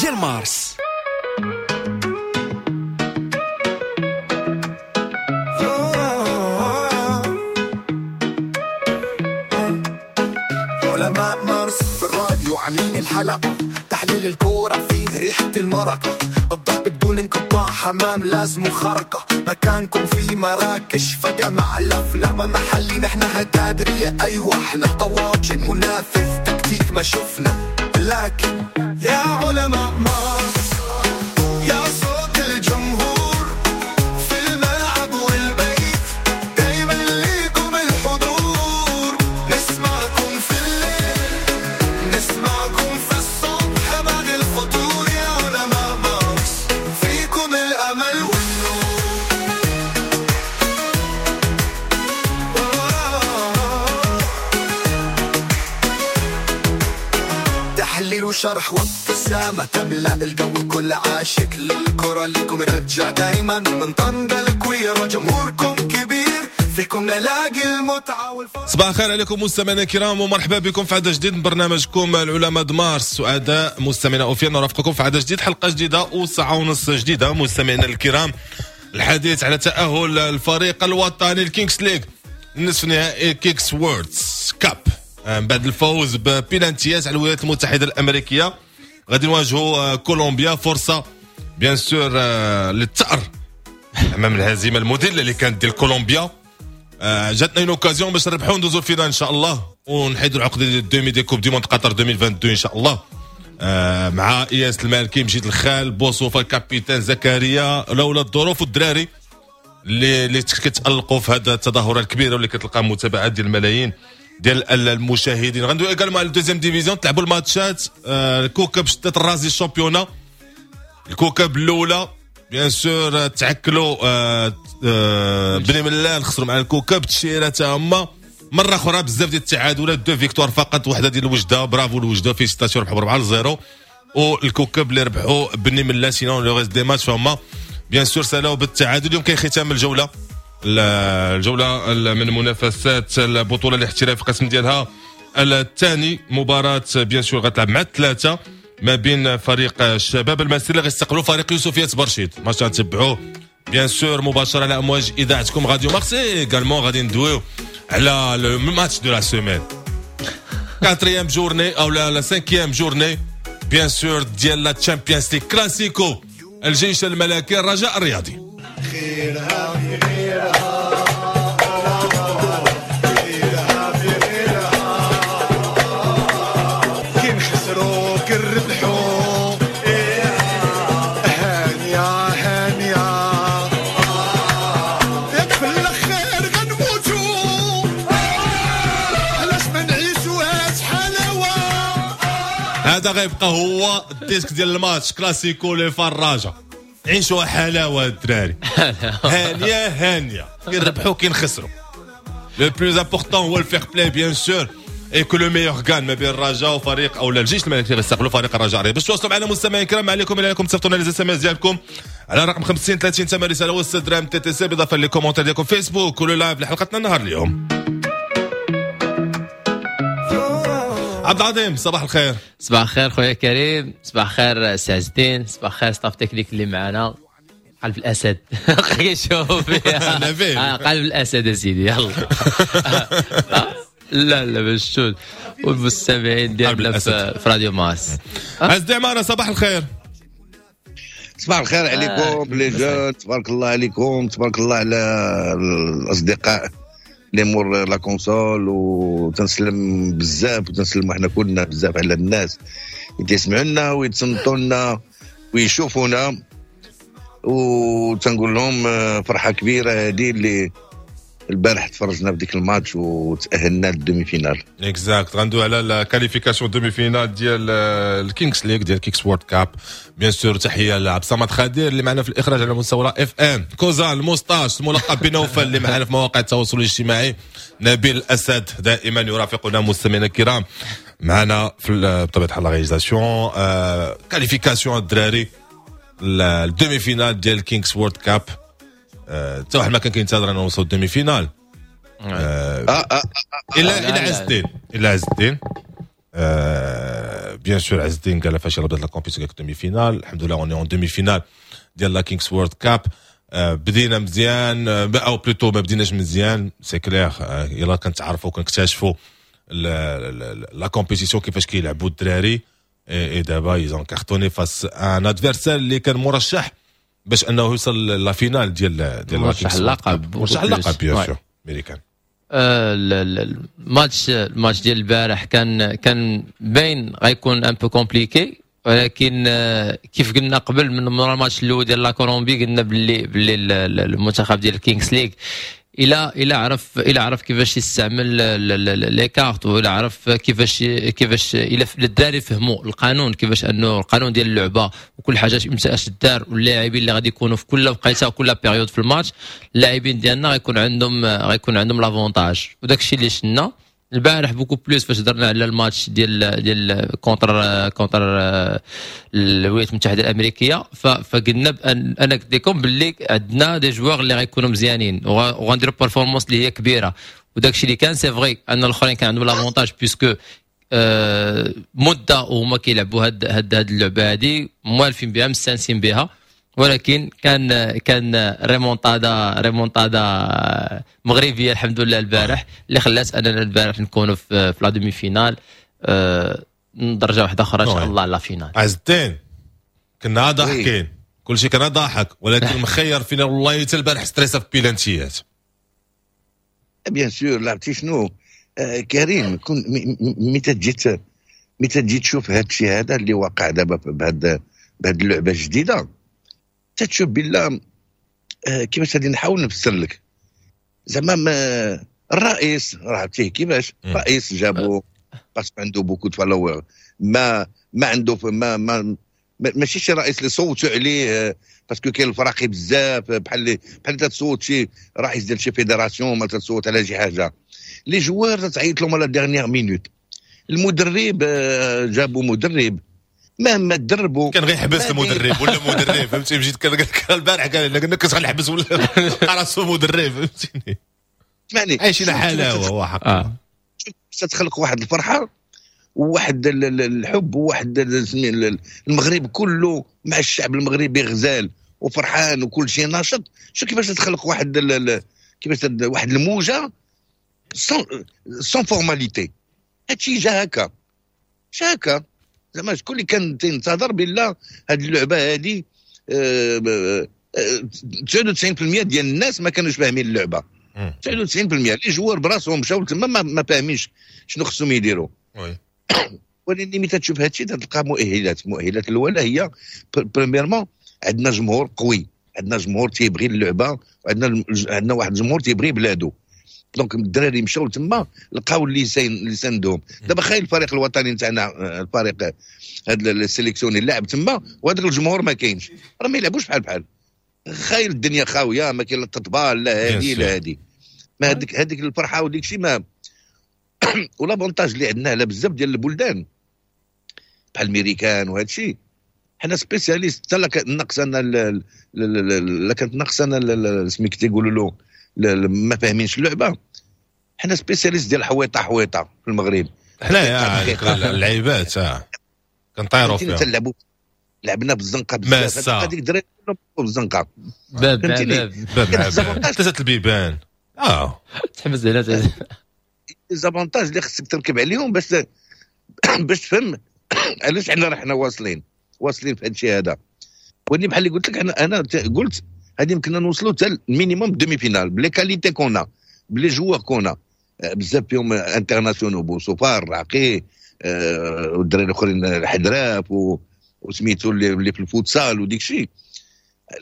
ديال مارس. علماء مارس في الراديو عاملين الحلقة، تحليل الكورة فيه ريحة المرقة، الضحك بدون انقطاع، حمام لازم خرقة، مكانكم في مراكش فجأة مع الأفلام محلي، نحن هتادرية أيوة احنا طواجن منافذ تكتيك ما شفنا، لكن يا علماء مارس يا صوت الجمهور في الملعب والبيت، دايما ليكم الحضور، نسمعكم في الليل نسمعكم في الصبح بعد الفطور، يا علماء مارس فيكم الأمل والنور. تحليل وشرح وابتسامة تملأ الجو، كل عاشق للكرة لكم رجع دايما من طنجة الكويرة، جمهوركم كبير فيكم نلاقي المتعة والفرح. صباح الخير عليكم مستمعينا الكرام ومرحبا بكم في عدد جديد من برنامجكم العلماء د مارس. سعداء مستمعينا اوفيا نرافقكم في عدد جديد، حلقة جديدة وساعة ونص جديدة. مستمعينا الكرام، الحديث على تأهل الفريق الوطني الكينجز ليغ نصف نهائي Kings World Cup بعد الفوز ببيلانتيات على الولايات المتحدة الأمريكية. غادي نواجهوا كولومبيا، فرصة bien sûr للثأر أمام الهزيمة المذلة اللي كانت ديال كولومبيا. جاتنا une occasion باش نربحوا ندوزوا ال finale ان شاء الله ونحيدوا العقدة ديال ال demi ديال Coupe du monde قطر 2022 ان شاء الله. مع اياس المالكي، مجيد الخال، بوصوفه ال capitaine زكريا، لولا الظروف والدراري اللي كيتالقوا في هذا التظاهرة الكبيرة واللي كتلقى متابعات ديال الملايين ديال المشاهدين. غندوي également على ال deuxième division، تلعبوا الماتشات. الكوكب شدت الرازي ال championnat، الكوكب الاولى bien sûr تعكلوا بني ملال، خسروا مع الكوكب تشيره تا هما مرة اخرى، بزاف ديال التعادلات، deux victoires فقط، وحده ديال الوجده، برافو الوجده félicitations ربحوا 4-0، والكوكب اللي ربحوا بني ملال. sinon le reste des matchs فهما bien sûr سالاو بالتعادل. اليوم كاين ختام الجولة من منافسات البطولة الاحتراف القسم ديالها الثاني، مباراة bien sûr غتلعب مع الثلاثة ما بين فريق الشباب المسير اللي غيستقبلوا فريق يوسفيه برشيد. ماتش غنتبعوه bien sûr مباشرة على امواج اذاعتكم راديو مارس. également غادي ندويو على le match de la semaine، quatrième journée او la cinquième journée bien sûr ديال la Champions League، كلاسيكو الجيش الملكي الرجاء الرياضي. خيرها في غيرها، خيرها في غيرها، كي نخسروا كي نربحوا، هانية هانية، ياك في الاخير غنموتوا، علاش ما نعيشوهاش حلاوة. هذا غيبقى هو ال disque ديال الماتش كلاسيكو لي فراجة، عيشوها حلاوة الدراري، هانيه هانيه، كي نربحوا كي نخسروا. le plus important هو ال fair-play bien sûr et que le meilleur gagne ما بين الرجاء وفريق او الجيش الملكي اللي غيستقبلوا فريق الرجاء الرياضي. باش تواصلوا معنا مستمعين الكرام، عليكم الى انكم تصيفطوا لنا les SMS ديالكم على رقم 50 30 ثمن رسالة وست درهم TTC، بالاضافة les commentaires ديالكم فيسبوك و le live لحلقتنا النهار اليوم. عبد العظيم صباح الخير. صباح الخير خويا كريم، صباح الخير سي عز الدين، صباح الخير staff technique اللي معنا. قلب الاسد كيشوف فيها. نبيل. قلب الاسد اسيدي، يلا. لا لا باش تشوف والمستمعين ديالنا قلب الأسد. في راديو مارس. عز الدين عمارة صباح الخير. صباح الخير عليكم les jeunes، تبارك الله عليكم، تبارك الله على الاصدقاء اللي مور la console، وتنسلم بزاف وتنسلم حنا كلنا بزاف على الناس اللي تيسمعوا لنا ويتصنتوا لنا ويشوفونا، وتنقول لهم فرحه كبيرة هذه اللي البارح تفرجنا في ديك الماتش وتاهلنا لل demi-finale. exact، غندوي على ال qualification demi-finale ديال الكينجز ليغ ديال Kings World Cup. bien sûr تحية لعبد الصمد خدير اللي معنا في الاخراج على مستوى FM، كوزان الموستاش الملقب بنوفل اللي معنا في مواقع التواصل الاجتماعي، نبيل الاسد دائما يرافقنا مستمعينا الكرام معنا في بطبيعة الحال la réalisation. qualification الدراري ال demi-finale ديال Kings World Cup، حتى واحد ما كان كينتظر انه نوصل ال demi-finale. الا لا، الا لا. عز الدين، الا عز الدين. bien sûr عز الدين قال فاش بدات la compétition demi-finale، الحمد لله on est en demi-finale ديال la Kings World Cup. بدينا مزيان او plutôt ما بديناش مزيان، c'est clair. يلا كنتعرفوا، كنكتشفوا la compétition، كيفاش كيلعبوا الدراري، et دابا ils ont cartonné face à un adversaire اللي كان مرشح باش انه يوصل la finale ديال مرشح اللقب. مرشح اللقب bien sûr، ميريكان. الماتش ديال البارح كان باين غيكون un peu compliqué، ولكن كيف قلنا قبل من مورا الماتش الاول ديال la Colombie، قلنا باللي المنتخب ديال الكينغز ليغ الى عرف كيفاش يستعمل les cartes، والى عرف كيفاش الى الدراري فهموا القانون، كيفاش انه القانون ديال اللعبة وكل حاجة امتى اش دار، واللاعبين اللي غادي يكونوا في كل وقيته وكل période في الماتش، اللاعبين ديالنا غيكون عندهم l'avantage. وداك الشيء اللي شفنا البارح beaucoup plus فاش درنا على الماتش ديال contre الولايات المتحدة الامريكيه، فقلنا بان انا قلت لكم باللي عندنا des joueurs اللي غيكونوا مزيانين وغنديروا performance اللي هي كبيره، وداك الشيء اللي كان. c'est vrai ان الاخرين كان عندهم l'avantage puisque مده وهما كيلعبوا هاد اللعبة هادي، موالفين بها، مستانسين بها، ولكن كان remontada remontada مغربية الحمد لله البارح، اللي خلات اننا البارح نكونوا في la demi-finale، درجه واحدة اخرى ان شاء الله la finale. عز الدين، كنا ضاحكين، كل شيء كان ضاحك، ولكن مخير فينا والله حتى البارح ستريسا في بيلانتيات. bien sûr، لعبتي شنو كريم، كون متى تجي تشوف هذا الشيء هذا اللي وقع دابا بهاد اللعبة الجديده، تتشوف بالله كيفاش غادي نحاول نفسر لك، زعما الرئيس راه عرفتيه كيفاش، رئيس جابو parce que عنده beaucoup de followers، ما عنده ما ماشي شي رئيس اللي صوتوا عليه parce que كاين الفراقي بزاف، بحال تتصوت شي رئيس ديال شي fédération، ما تتصوت على شي حاجه. les joueurs تعيط لهم à la dernière minute. المدرب جابوا مدرب مهما تدربوا كان غيحبس المدرب ولا مدرب، فهمتي؟ مشيت كان البارح قال لك كنت غنحبس ولا راسو مدرب، فهمتيني؟ اسمعني. عايشين حلاوة هو حق. تخلق واحد الفرحة وواحد الحب وواحد المغرب كله مع الشعب المغربي غزال وفرحان وكل شيء ناشط. شو كيفاش تخلق واحد كيفاش واحد الموجه sans formalité. هادشي جا هكا، جا هكا، زعما شكون اللي كان تنتظر بالله هاد اللعبة هادي؟ 99% ديال الناس ما كانوش فاهمين اللعبه، 99%. les joueurs براسهم مشاو تما ما فاهمينش شنو خصهم يديروا. ولكن ملي تشوف هادشي تلقى مؤهلات. مؤهلات الاولى هي premièrement عندنا جمهور قوي، عندنا جمهور تيبغي اللعبه، وعندنا واحد الجمهور تيبغي بلادو. donc الدراري مشاو تما لقاو اللي ساندهم. دابا خايل الفريق الوطني نتاعنا، الفريق هذا ال sélectionné اللعب تما وهذاك الجمهور ما كاينش، راه ما يلعبوش بحال بحال. خايل الدنيا خاويه، ما كاين لا التطبال لا هادي لا هادي، ما هذيك الفرحة وديك الشيء ما. و l'avantage اللي عندنا على بزاف ديال البلدان بحال الميريكان وهذا الشيء، حنا spécialistes حتى لا لا كانت ناقصنا سميك تيقولوا له ما فاهمينش اللعبه، حنا spécialistes ديال حويطه حويطه في المغرب. حنايا اللعيبات كنطيروا فيها. تنلعبوا، لعبنا بالزنقه بزاف، هذيك الدراري بالزنقه. باب باب. باب باب، ثلاثة البيبان. تحبس هنا. les avantages اللي خصك تركب عليهم باش تفهم علاش حنا رحنا واصلين في هذا الشيء هذا. ولكن بحال اللي قلت لك، انا قلت هذه يمكننا نوصلوا حتى ال minimum demi-finale ب les qualités qu'on a، ب les joueurs qu'on a، بزاف فيهم internationaux، بوصوفار، راقي، والدراري الاخرين الحدراف وسميتو اللي في الفوتسال وديك الشيء،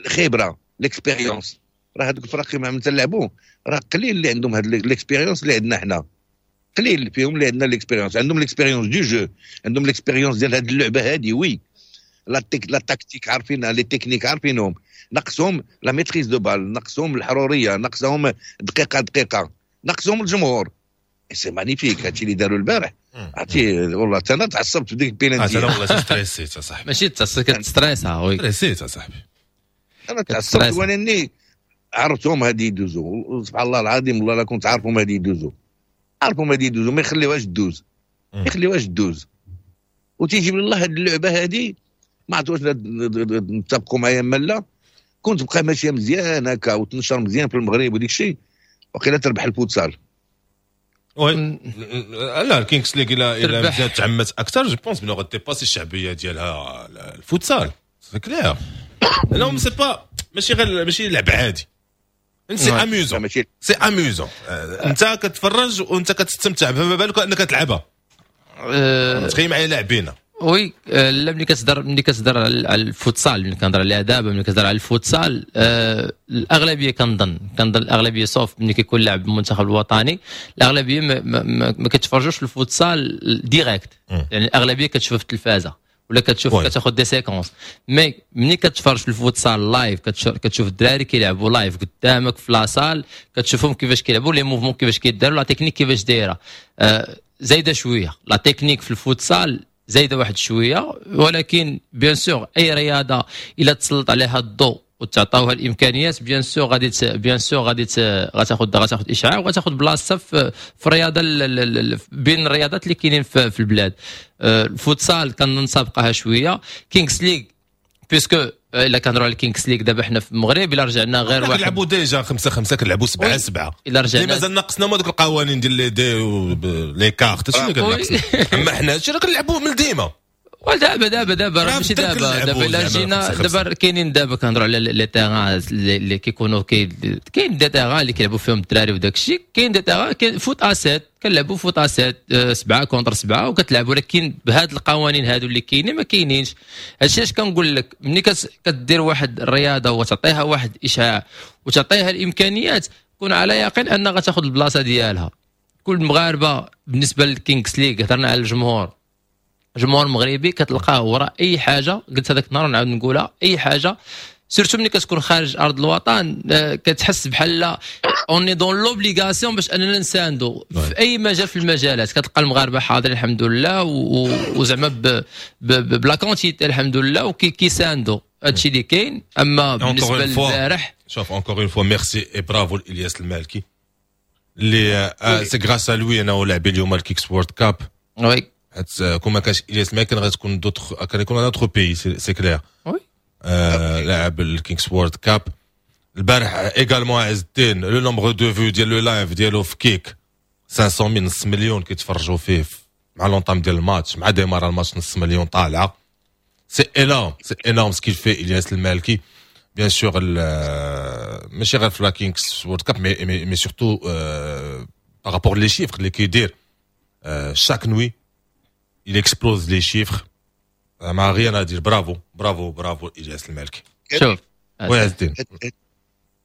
الخبره، l'expérience. راه هذوك الفرق مع من تلعبوا راه قليل اللي عندهم هاد l'expérience اللي عندنا حنا، قليل فيهم اللي عندنا l'expérience. عندهم l'expérience du jeu، عندهم l'expérience ديال هاد اللعبة هادي، oui، la tactique عارفينها، les techniques عارفينهم، نقصهم la maîtrise de balle، نقصهم الحروريه، نقصهم دقيقة دقيقه، نقصهم الجمهور. c'est magnifique هادشي اللي داروا البارح. عرفتي والله حتى انا تعصبت في ديك البيلانتي. انا والله ستريسيت اصاحبي. ماشي تعصب، كتستريسا oui. ستريسيت اصاحبي. انا تعصبت ولاني عرفتهم هادي يدوزوا. سبحان الله العظيم، والله لا كنت عارفهم هادي يدوزوا، عارفهم هادي يدوزوا، ما يخليوهاش دوز، ما يخليوهاش دوز. وتيجيب الله هذه اللعبة هذه، ما عرفت واش نتفقوا معايا ما لا، كنت تبقى ماشية مزيان هكا وتنشر مزيان في المغرب وديك الشيء، وقيلا تربح الفوتسال. oui، لا، الكينغز ليغ الى مزيان تعمت اكثر، je pense بلي غادي dépasser الشعبية ديالها الفوتسال، c'est clair. non، c'est pas ماشي غير ماشي لعب عادي، c'est amusant، c'est amusant. انت كتفرج وانت كتستمتع، فما بالك انك تلعبها؟ تخيل معايا لاعبين. oui، لا، ملي كتهضر على الفوتسال، ملي كنهضر عليها دابا، ملي كتهضر على الفوتسال، الاغلبية كنظن الاغلبيه، sauf ملي كيكون لاعب المنتخب الوطني، الاغلبية ما كتفرجوش في الفوتسال direct. يعني الاغلبية كتشوف في التلفازه ولا كتشوف كتاخذ des séquences، mais ملي كتفرج في الفوتسال live، كتشوف الدراري كيلعبوا live قدامك في la salle، كتشوفهم كيفاش كيلعبوا، les mouvements كيفاش كيداروا، la technique كيفاش دايره. زايدة شوية la technique في الفوتسال، زايدة واحد شويه، ولكن bien sûr اي رياضة الا تسلط عليها الضوء وتعطاوها الامكانيات، bien sûr غادي غتاخذ اشعاع وغتاخذ بلاصة في الرياضة بين الرياضات اللي كاينين في البلاد. الفوتسال كنظن سابقاها شوية كينغز ليغ، puisque الا كنهضروا على الكينغز ليغ دابا حنا في المغرب، الا رجعنا غير واحد كنلعبوا déjà 5-5، كنلعبوا 7-7. الا رجعنا مازال ناقصنا ما دوك القوانين ديال les dés، les cartes، هادشي اللي كناقصنا. اما حنا هادشي راه كنلعبوه من ديما. ودابا دابا دابا راه ماشي دابا دابا، الا جينا دابا كاينين، دابا كنهضروا على les terrains اللي كيكونوا، كاين des terrains اللي كيلعبوا فيهم الدراري وداك الشيء، كاين des terrains، كاين foot à 7، كنلعبوا foot à 7، 7 contre 7 وكتلعب، ولكن بهاد القوانين هادو اللي كاينين ما كاينينش. هادشي علاش كنقول لك ملي كدير واحد الرياضة وتعطيها واحد الاشعاع وتعطيها الامكانيات، كون على يقين ان غتاخذ البلاصة ديالها. كل المغاربه، بالنسبة للكينغز ليغ هضرنا على الجمهور، الجمهور المغربي كتلقاه وراء اي حاجه. قلت هذاك النهار ونعاود نقولها، اي حاجه، surtout ملي كتكون خارج ارض الوطن، كتحس بحال on est dans l'obligation باش اننا نساندو في اي مجال في المجالات. كتلقى المغاربة حاضرين الحمد لله، وزعما ب la quantité الحمد لله، وكيساندو. هادشي اللي كاين. اما بالنسبة للبارح شوف، encore une fois merci et bravo الياس المالكي اللي c'est grâce à lui انا لاعبين اليوم الكيكس وورد كاب. حيت كون ما كانش الياس المالكي كان غتكون d'autres، كان يكون un autre pays، c'est clair. لاعب الكينغز وورد كاب البارح également، عز الدين، le nombre de vues ديال le live ديالو في كيك 500 mille، نص مليون كيتفرجوا فيه مع l'entame ديال الماتش، مع démarra الماتش نص مليون طالعه. c'est énorme، c'est énorme ce qu'il fait الياس المالكي، bien sûr ماشي غير في la كينغز وورد كاب، mais surtout par rapport les chiffres اللي كيدير chaque nuit، il explose les chiffres. ما rien à dire، bravo bravo bravo الياس المالكي. شوف. oui عز الدين.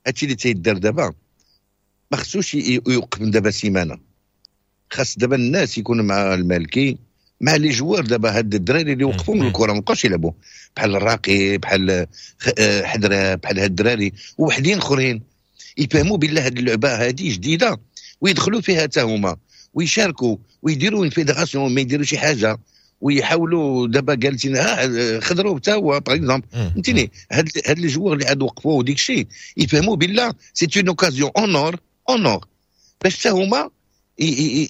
هادشي اللي تيدار دابا ما خصوش يوقف من دابا سيمانه. خاص دابا الناس يكونوا مع المالكي، مع les joueurs. دابا هاد الدراري اللي وقفوا من الكره، ما بقاوش يلعبوا، بحال الراقي، بحال حدره، بحال هاد الدراري وحدين اخرين، يفهموا بالله هاد اللعبة هادي جديدة ويدخلوا فيها حتى هما ويشاركوا ويديروا une fédération، ما يديروا شي حاجة ويحاولوا. دابا جالسين خضروا حتى هو par exemple، فهمتيني؟ هاد les joueurs اللي عاد وقفوا وديك الشيء يفهموا بالله c'est une occasion en or en or باش حتى هما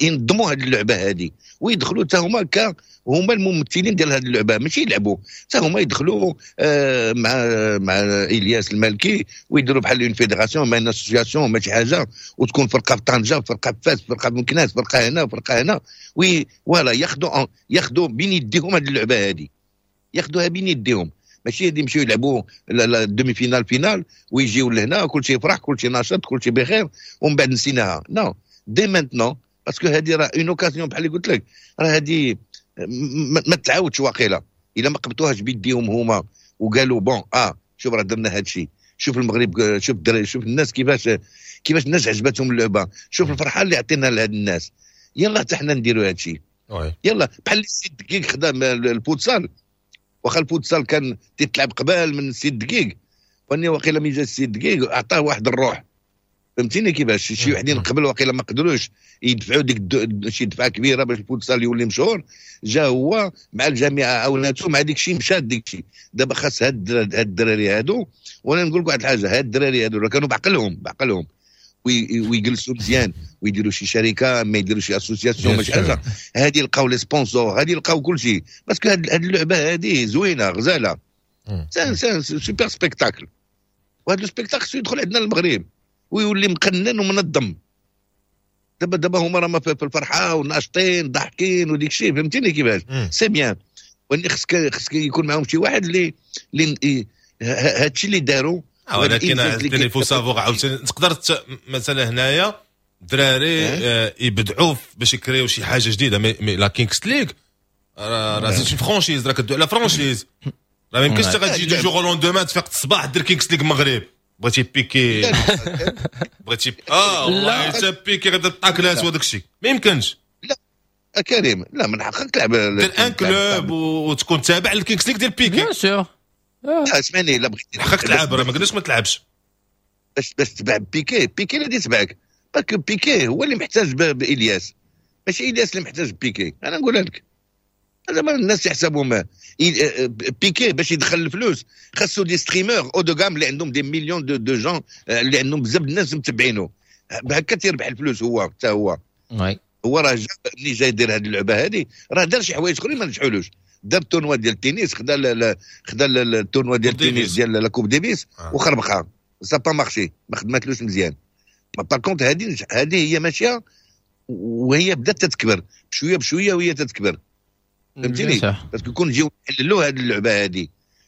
ينظموا هذه اللعبة هذه ويدخلوا حتى هما هما الممثلين ديال هذه اللعبه، ماشي يلعبوا، حتى هما يدخلوا مع الياس المالكي ويديروا بحال une fédération، ما association، ما شي حاجه، وتكون فرقه في طنجه، فرقه في فاس، فرقه في مكناس، فرقه هنا، فرقه هنا، oui voilà، ياخذوا بين يديهم هذه اللعبة هذه، ياخذوها بين يديهم، ماشي غادي يمشيو يلعبوا demi-finale، finale ويجيو لهنا كلشي يفرح، كلشي ناشط، كلشي بخير، ومن بعد نسيناها. non، dès maintenant، parce que هذه راه une occasion، بحال اللي قلت لك، راه هذه ما تعاودش واقيلا الا ما قبطوهاش بيديهم هما وقالوا bon شوف راه درنا هذا الشيء، شوف المغرب، شوف الدراري، شوف الناس كيفاش الناس عجبتهم اللعبه، شوف الفرحة اللي عطينا لهاد الناس، يلا حتى حنا نديروا هذا الشيء. يلا بحال السي دقيق خدا الفوتسال، واخا الفوتسال كان تيتلعب قبل من السي دقيق، فاني واقيلا ملي جا السي دقيق عطاه واحد الروح، فهمتيني كيفاش؟ شي وحدين قبل واقيلا ما قدروش يدفعوا ديك شي دفعه كبيرة باش الفوتسال يولي مشهور. جا هو مع الجامعة عاوناتو مع ديك الشيء، مشات ديك الشيء. دابا خاص هاد الدراري هادو، وانا نقول لك واحد الحاجه، هاد الدراري هادو كانوا بعقلهم بعقلهم ويجلسوا مزيان ويديروا شي شركه، ما يديروا شي association، ماشي حاجه. هذه لقاو les sponsors، هذه لقاو كل شيء، parce que هذه اللعبة هذه زوينة غزاله، c'est super spectacle، وهذا ال spectacle خصو يدخل عندنا المغرب ويولي مقنن ومنظم. دابا هما راهم في الفرحة وناشطين ضاحكين وديك الشيء، فهمتيني كيفاش؟ c'est bien، ولكن خصك يكون معاهم شي واحد اللي هادشي اللي داروا. ولكن il faut savoir عاوتاني تقدر مثلا هنايا الدراري يبدعوا باش يكريو شي حاجة جديده، mais la Kings League راه c'est franchise، راه كدوي على franchise، راه ما يمكنش غتجي du jour au lendemain تفيق الصباح دير Kings League المغرب. بغيتي بيكي، بغيتي والله حتى بيكي غيبدا الطاكلات وداك الشيء، ما يمكنش. لا كريم، لا من حقك تلعب. دير un club وتكون تابع لل Kings League ديال بيكي. bien sûr. اسمعني، لا بغيتي حقك تلعب، راه ما قلناش ما تلعبش. باش تبع بيكي، بيكي اللي يتبعك، parce que بيكي هو اللي محتاج بالياس، ماشي الياس اللي محتاج بيكي. انا نقولها لك، زعما الناس يحسبوا ما بيكي باش يدخل الفلوس خاصو des streamers haut de gamme اللي عندهم des millions de gens، اللي عندهم بزاف الناس متبعينه، بهكا تيربح الفلوس هو حتى هو. هو راه ملي جاي يدير هذه اللعبة هذه راه دار شي حوايج اخرين ما نجحولوش. دار ال tournoi ديال التنس، خدا ال tournoi ديال التنس ديال la Coupe Davis وخربقها، ça a pas marché، ما خدماتلوش مزيان. par contre هذه هي ماشية وهي بدات تتكبر بشوية بشويه، وهي تتكبر، فهمتيني؟ parce que كون نجيو نحللوا هذه اللعبة هذه،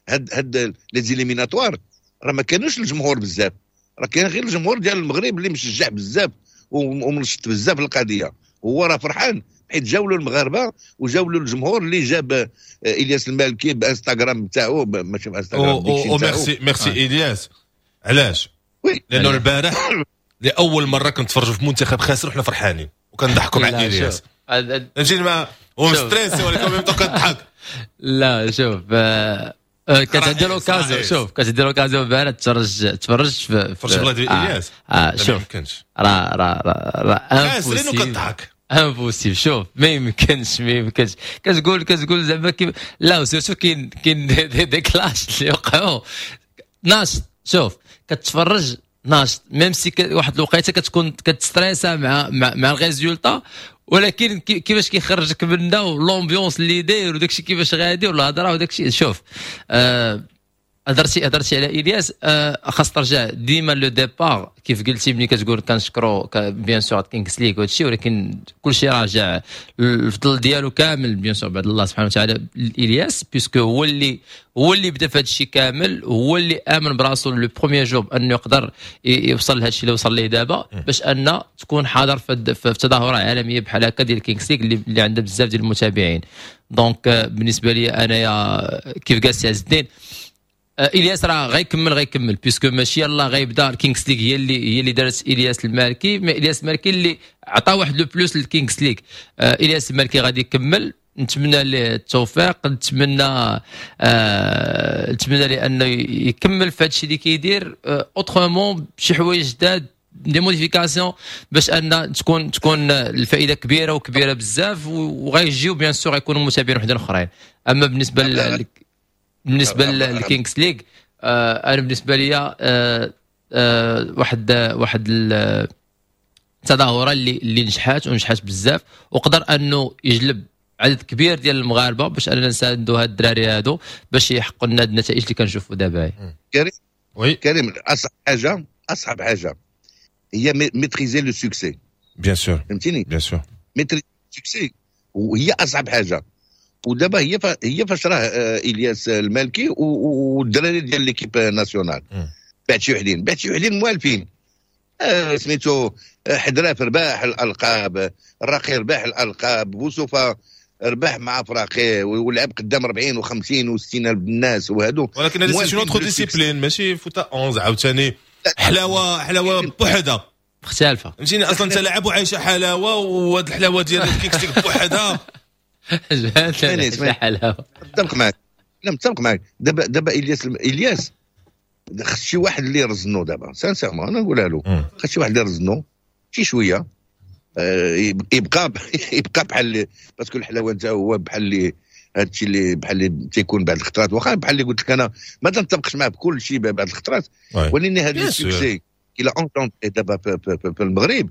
هاد les éliminatoires راه ما كانوش الجمهور بزاف، راه كاين غير الجمهور ديال المغرب اللي مشجع بزاف ومنشط بزاف القضيه. هو راه فرحان حيت جاو له المغاربة وجاو له الجمهور اللي جاب الياس المالكي بانستغرام تاعو، ماشي بانستغرام. merci merci الياس. علاش؟ لانه البارح لاول مرة كنتفرجوا في منتخب خاسر وحنا فرحانين وكنضحكوا مع الياس، فهمتيني؟ ما هو stressé ولكن même كنضحك. لا شوف، كانت عندي l'occasion، شوف كانت عندي l'occasion البارح تفرج في تفرج في ديال الياس. شوف راه راه راه خاسرين وكتضحك. impossible، شوف ما يمكنش، ما يمكنش. كتقول زعما كيف لا، surtout كاين des clashs اللي وقعوا. ناشط، شوف كتفرج ناشط، même si واحد الوقيته كتكون كتستريسا مع ال résultat، ولكن كيفاش كيخرجك منها و l'ambiance اللي داير وداكشي كيفاش غادي والهضره وداكشي. شوف هضرتي على الياس، خاص ترجع ديما le départ كيف قلتي ملي كتقول كنشكرو bien sûr Kings League وهادشي، ولكن كلشي راجع الفضل ديالو كامل bien sûr بعد الله سبحانه وتعالى الياس، puisque هو اللي بدا في هذا الشيء كامل، هو اللي امن براسو le premier jour انه يقدر يوصل لهذا الشيء اللي وصل ليه دابا، باش ان تكون حاضر في تظاهرة عالمية بحال هكا ديال Kings League اللي عندها بزاف ديال المتابعين. donc بالنسبة لي انايا كيف قال سي عز الدين، الياس راه غيكمل puisque ماشي يلاه غيبدا. ال Kings League هي اللي دارت الياس المالكي، mais الياس المالكي اللي عطى واحد le plus لل Kings League. الياس المالكي غادي يكمل، نتمنى له التوفيق، نتمنى له انه يكمل في هذا الشيء اللي كيدير autrement، بشي حوايج جداد، des modifications، باش ان تكون الفائدة كبيرة وكبيره بزاف، وغيجيو bien sûr غيكونوا متابعين وحدين اخرين. اما بالنسبه لل Kings League، انا بالنسبة لي واحد التظاهرة اللي نجحات ونجحات بزاف، وقدر انه يجلب عدد كبير ديال المغاربة باش اننا نساندوا هاد الدراري هادو باش يحققوا لنا النتائج اللي كنشوفوا دابا. كريم. oui. كريم، اصعب حاجه هي maîtriser le succès. bien sûr. فهمتيني؟ bien sûr. maîtriser succès وهي اصعب حاجه، ودابا هي فاش راه الياس المالكي والدراري ديال l'équipe nationale. بعد شي وحدين موالفين، سميتو حدراف رباح الالقاب، الراقي رباح الالقاب، بوسوفه ربح مع فراقي ولعب قدام 40 و50 و60 الف الناس وهادو. ولكن هذه c'est une autre discipline، ماشي foot à 11 عاوتاني، حلاوة حلاوة بوحدها. مختلفه. فهمتيني؟ اصلا انت لاعب وعايشة حلاوه، وهاد الحلاوة ديال ال Kings League بوحدها. حلاوه. متفق معك، لا متفق معك. دابا الياس خص شي واحد اللي يرزنو دابا، sincèrement انا نقولها له، خص شي واحد اللي يرزنو شي شويه، يبقى بحال، parce que الحلاوة نتاعو هو بحال اللي هادشي اللي بحال اللي تيكون بعض الخطرات، واخا بحال اللي قلت لك انا ما تنتفقش معاه بكل شيء بعض الخطرات، ولكن هذا ال succès qu'il a engendré دابا في المغرب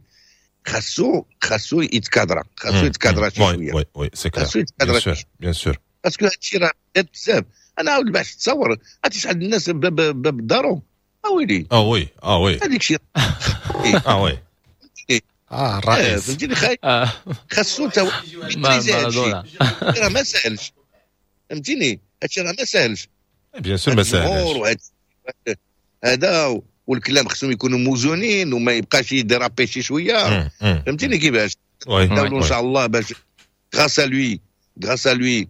خاصو يتكادرا، خاصو يتكادرا شي شويه. oui oui، c'est clair. خاصو يتكادرا. bien sûr، bien sûr. parce que هادشي راه بزاف. انا عاود باش تصور، عرفتي شحال الناس باب دارو، اويلي. اه oui، اه oui. هذيك الشيء. اه oui. اه الرئيس. فهمتيني، خاصو تا مارادونا. راه ما ساهلش، فهمتيني، هادشي راه ما ساهلش. bien sûr ما ساهلش. هذا والكلام خصهم يكونوا موزونين وما يبقاش ي déraper شي شويه، فهمتيني كيفاش. ان شاء الله باش grâce à lui، grâce à lui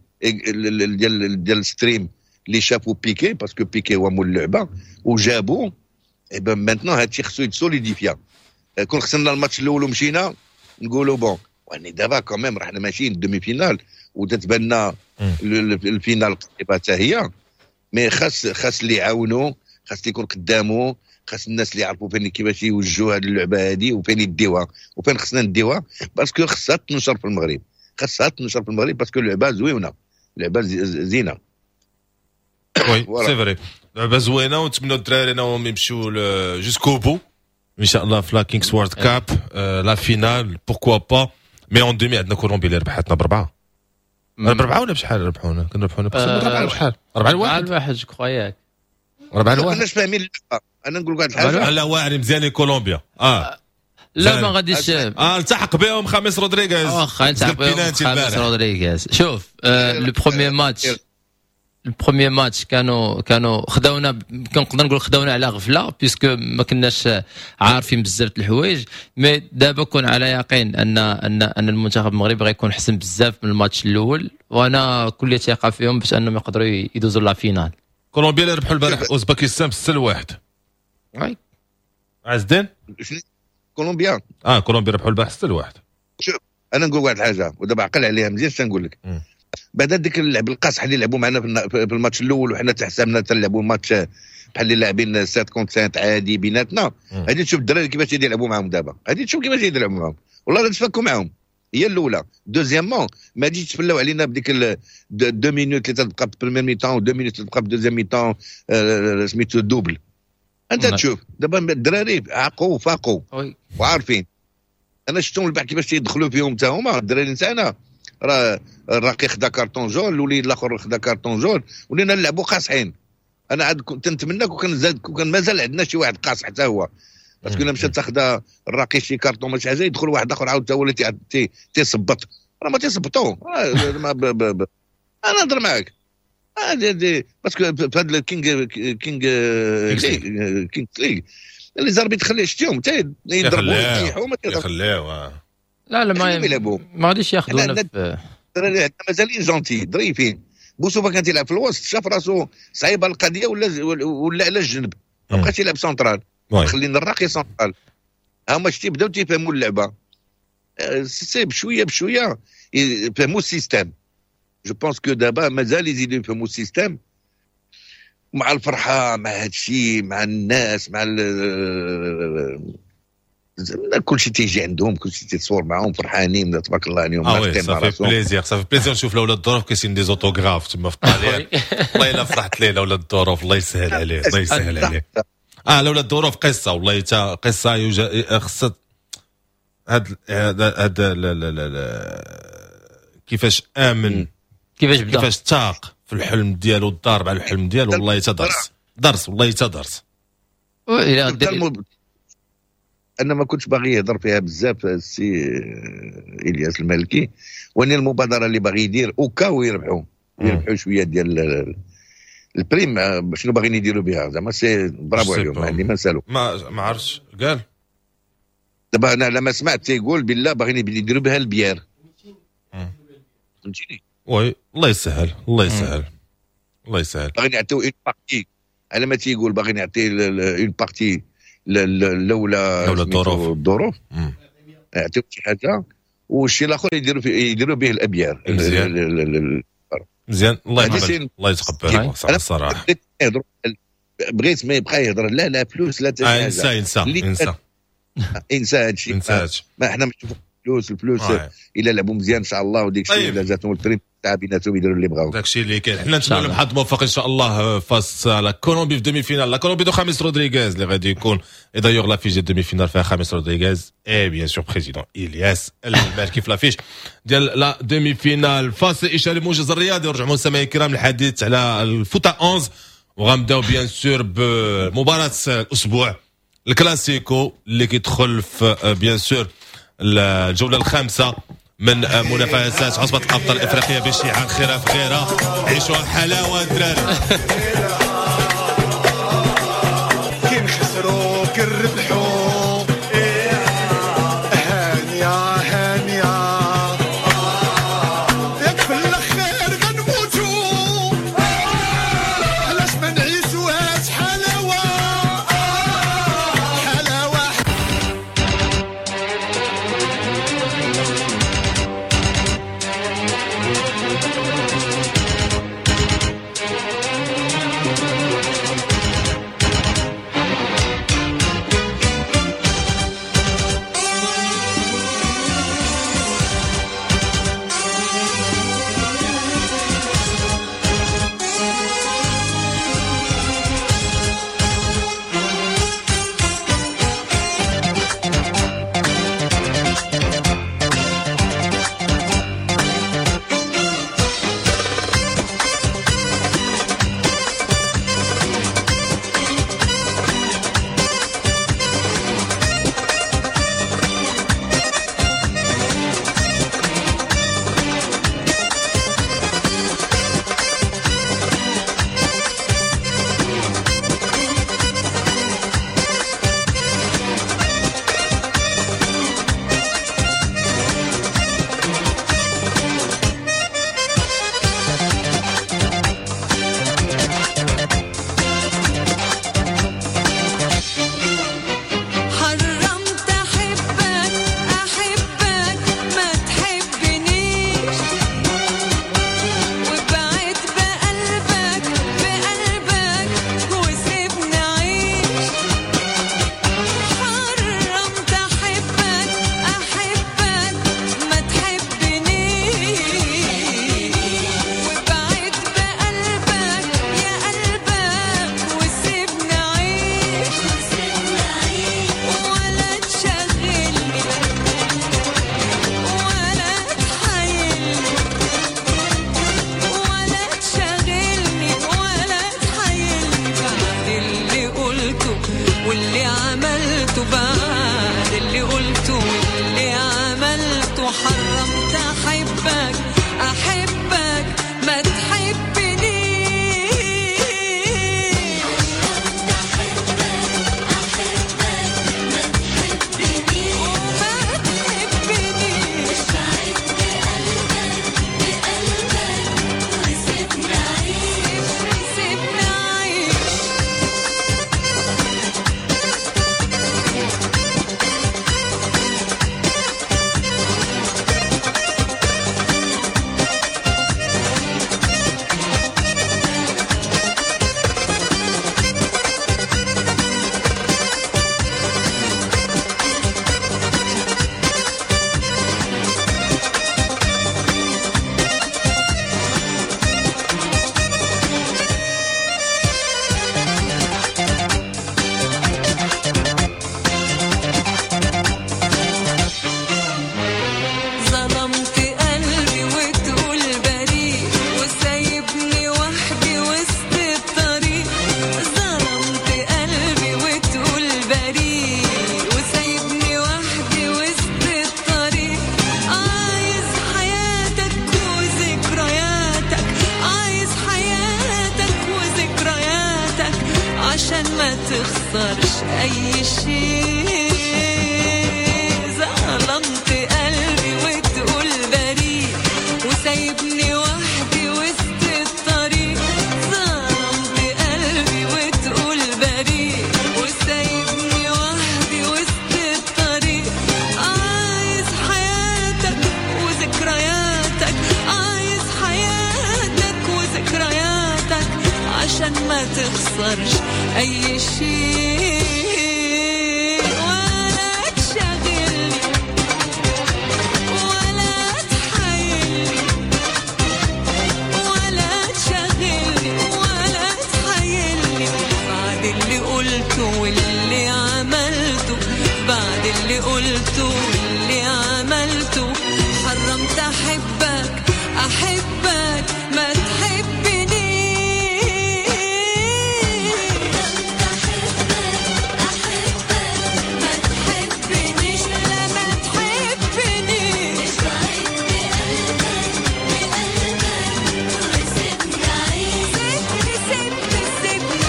ديال stream اللي شافوا بيكي، parce que بيكي هو مول اللعبة وجابوا. et ben maintenant هادشي خصو يت solidifia. كون خسرنا الماتش الاول ومشينا نقولوا bon، يعني دابا quand même رحنا ماشيين demi-finale وتتبان لنا ال finale قريبه حتى هي. mais خاص اللي يعاونوا، خاص اللي يكون قدامه، خاص الناس اللي يعرفوا فين كيفاش يوجهوا هذه اللعبة هذه وفين يديوها وفين خصنا نديوها، parce que خصها تنشر في المغرب، خاصها تنشر في المغرب، parce que اللعبة زوينه، لعبه زينه. oui، c'est vrai، لعبه زوينه، ونتمنوا الدراري انهم يمشيو jusqu'au bout ان شاء الله في la Kings World Cup، la finale pourquoi pas. mais en demi عندنا كولومبيا اللي ربحتنا بربعه، بربعه ولا بشحال ربحونا؟ كنربحونا بربعه، بشحال؟ 4-1. 4-1 je crois، ياك؟ 4-1. ما كناش فاهمين اللعبه، انا نقول لك واحد الحاجه. لا، واعر مزيان كولومبيا اه. لا، ما غاديش. التحق بهم خامس رودريغيز. واخا التحق بهم خامس رودريغيز. شوف، le premier match، ال premier match كانوا خداونا، كنقدر نقول خداونا على غفله، puisque ما كناش عارفين بزاف الحوايج. mais دابا كون على يقين ان المنتخب المغربي غيكون حسن بزاف من الماتش الاول، وانا كل ثقة فيهم باش انهم يقدروا يدوزوا la finale. كولومبيا اللي ربحوا البارح اوزباكستان ب6-1. oui. عز الدين. كولومبيا. اه، كولومبيا ربحوا البارح 6-1. شوف، انا نقول واحد الحاجة ودابا عقل عليها مزيان، شنو نقول لك؟ بعد ديك اللعب القاصح اللي لعبوا معنا في الماتش الاول، وحنا تحسبنا تلعبوا الماتش بحال اللي لاعبين 7 contre 7 عادي بيناتنا. غادي تشوف الدراري كيفاش يلعبوا معاهم دابا، غادي تشوف كيفاش يلعبوا معاهم، والله غادي تفكوا معاهم. هي الاولى. deuxièmement، ما تجيش تفلاو علينا بديك 2 minutes اللي تبقى في première mi-temps و 2 minutes تبقى في deuxième mi-temps، سميتو double. انت تشوف دابا الدراري عاقوا وفاقوا وعارفين. انا شفتهم البارح كيفاش تيدخلوا فيهم حتى هما الدراري نتاعنا. راه الراقي خدا carton jaune، الوليد الاخر خدا carton jaune، ولينا نلعبوا قاصحين. انا عاد كنت نتمنى كون كان زاد، كون كان مازال عندنا شي واحد قاصح حتى هو، parce que الا مشى تاخذ الراقي شي كارطون ماشي حاجه، يدخل واحد اخر عاود حتى هو اللي تيصبط. راه ما تيصبطوا. انا نهضر معاك parce que في هذا ال Kings League les arbitres خلي شتيهم حتى يضربوا يطيحوا ما يخليو. لا لا، ما غاديش ياخذونا. في الدراري عندنا مازالين gentils، ظريفين. بوسوفا كان تيلعب في الوسط، شاف راسو صعيبة القضيه، ولا على الجنب، ما بقاش يلعب سنترال، خلينا الراقي سنترال. هما شتي بداو تيفهموا اللعبه، c'est بشوية بشوية يفهموا ال système. je pense que دابا مازال يزيدوا يفهموا ال système مع الفرحه، مع هذا الشيء، مع الناس، مع كل شيء تيجي عندهم، كل شيء تيتصور معاهم، فرحانين تبارك الله عليهم. اه oui، ça fait plaisir، ça fait plaisir نشوف الاولاد الظروف كاينين des autographes تما في الطاليان. والله الا فرحت ليه الاولاد الظروف، الله يسهل عليه، الله يسهل عليه. الاولاد الظروف قصه، والله تا قصه. يوجد خصها هاد كيفاش امن كيفاش بدا، كيفاش تاق في الحلم ديالو، الضارب على الحلم ديالو. والله تا درس درس، والله تا درس. انا ما كنتش باغي يهضر فيها بزاف السي الياس المالكي، وان المبادرة اللي باغي يدير au cas où يربحوا شوية ديال ال prime، شنو باغيين يديروا بها؟ زعما c'est bravo عليهم، ما عندي ما نسالو. ما عرفتش قال. دابا انا لما سمعت تيقول بالله باغيين يديروا بها البيار، فهمتيني؟ oui، الله يسهل، الله يسهل، الله يسهل. باغيين يعطيو une partie، على ما تيقول باغيين يعطي une partie لولا لولا الظروف. الظروف يعطيو شي حاجه، والشيء الاخر يديروا به الابيار. مزيان مزيان، الله يتقبل، الله يتقبل الصراحه. بغيت ما يبقى يهضر لا لا فلوس لا. آه، انسى انسى انسى. انسى هذا الشيء. انسى هادشي. ما احنا الفلوس الفلوس الا لعبوا مزيان ان شاء الله، وديك الشيء الا جاتهم ال prime تاع بيناتهم يديروا اللي بغاو. داكشي اللي كاين. حنا نتمنى لهم حظ موفق ان شاء الله face la Colombie في demi-finale، la Colombie de خاميس رودريغيز اللي غادي يكون. et d'ailleurs l'affiche ديال demi-finale فيها خاميس رودريغيز et bien sûr président الياس المالكي في l'affiche ديال la demi-finale. فاصل اشاري موجز الرياضي، ورجعوا مستمعي الكرام الحديث على ال foot à 11، وغنبداو bien sûr بمباراة الاسبوع الكلاسيكو اللي كيدخل في bien sûr الجولة الخامسة من منافسات عصبة الأبطال الإفريقية بشعار خيرها في غيرها. عيشوا الحلاوة الدراري. كي نخسروا كي نربحوا هانية هانية، ياك في الأخير غنموتوا، علاش ما نعيشوهاش حلاوة حلاوة. تخسرش اي شيء. ظلمت قلبي وتقول بريء وسايبني وحدي وسط الطريق. ظلمت قلبي وتقول بريء وسايبني وحدي وسط الطريق. عايز حياتك وذكرياتك، عايز حياتك وذكرياتك عشان ما تخسرش اي شيء. واللي عملته، بعد اللي قلته واللي عملته، حرمت أحبك أحبك ما تحبنيش. أحبك ما تحبنيش، لا ما تحبنيش، بقلبك بقلبك وسيبني أعيش، سيبني سيبني سيبني.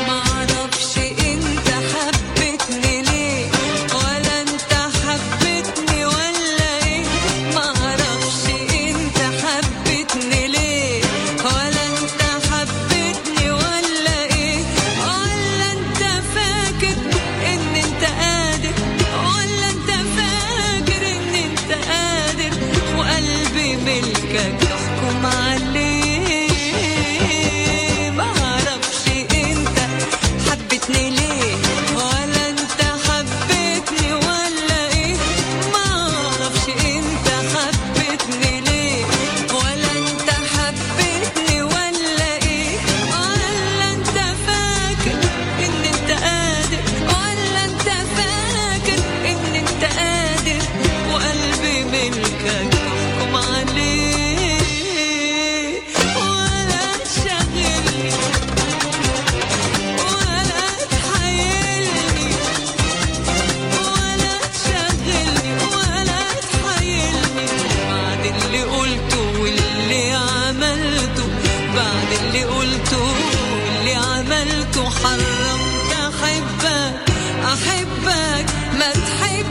معرفش انت حبتني ليه، ولا انت حبتني ولا ايه، معرفش انت حبتني ليه، ولا انت حبتني ولا ايه، ولا انت فاكر ان انت قادر، ولا انت فاكر ان انت قادر، وقلبي ملكك تحكم عليه. معرفش انت حبتني ليه، ولا انت حبتني ولا ايه، معرفش انت حبتني ليه، ولا انت حبتني ولا ايه، ولا انت فاكر ان انت قادر، ولا انت فاكر ان انت قادر، وقلبي ملكك تحكم عليه، ولا تشغلني ولا تحايلني، ولا تشغلني ولا تحايلني، بعد اللي قلته واللي عملته، بعد اللي قلته واللي عملته، حرمت أحبك أحبك ما تحبنيش.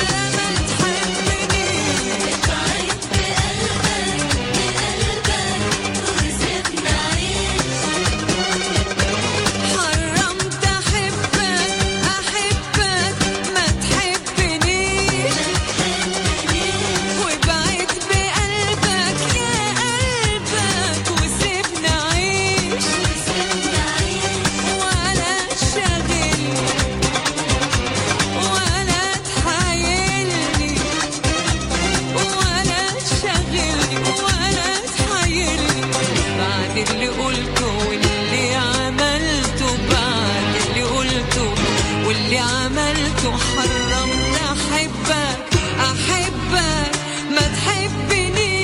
لا ما تحبنيش، حرمت أحبك أحبك ما تحبنيش، وبعد بقلبك يا قلبك وسيبني أعيش، ولا تشغلني ولا تحايلني، ولا تشغلني ولا تحايلني، بعد اللي قلته واللي عملته، بعد اللي قلته واللي عملته، حرمت أحبك أحبك ما تحبنيش.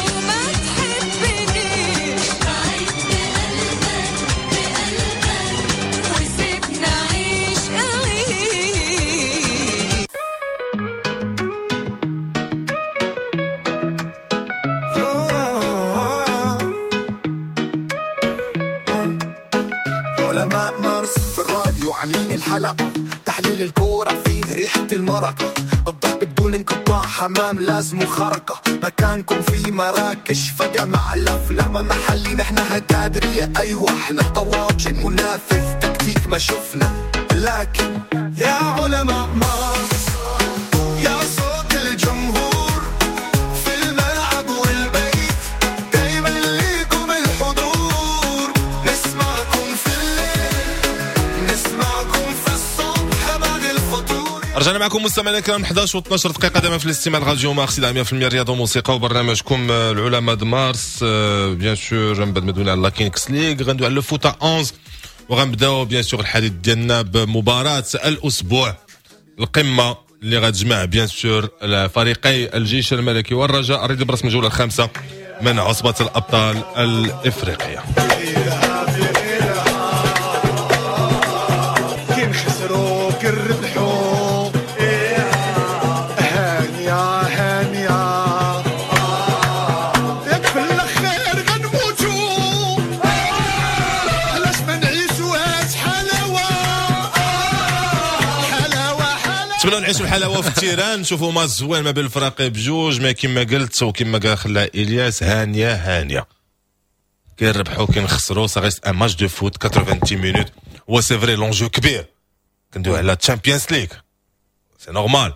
وما تحبنيش، وسيبني أعيش أعيش. علماء مارس في الراديو عاملين الحلقة، تحليل الكورة فيه ريحة المرقة، الضحك بدون انقطاع، حمام لازم خرقة، مكانكم في مراكش فجأة مع الأفلام محلي، نحنا هتادرية أيوة احنا طواجن، منافس تكتيك ما شفنا، لكن يا علماء مارس يا صوت الجمهور في الملعب والبيت، دايما ليكم الحضور، نسمعكم في الليل نسمعكم في الصبح بعد الفطور. رجعنا معكم مستمعينا الكرام 11 و 12 دقيقة دائما في الاستماع لراديو مارس 100% رياضة وموسيقى وبرنامجكم العلماء د مارس. bien sûr من بعد ما دوينا على la Kings League غندوي على le foot à 11، وغنبداو bien sûr الحديث ديالنا بمباراة الاسبوع، القمه اللي غتجمع bien sûr فريقي الجيش الملكي والرجاء الرياضي برسم الجولة الخامسة من عصبه الابطال الافريقية. كي نخسروا كي نربحوا هانية هانية، ياك في الاخر نتمنوا نعيشوا الحلاوة في ال terrain، نشوفوا ماتش زوين ما بين الفرق بجوج. ما كما قلت وكما قال خلا الياس، هانيه هانيه، كنربحوا كنخسروا، ça reste un match de foot 90 minutes. هو c'est vrai l'enjeu كبير، كندوي على Champions League، c'est normal.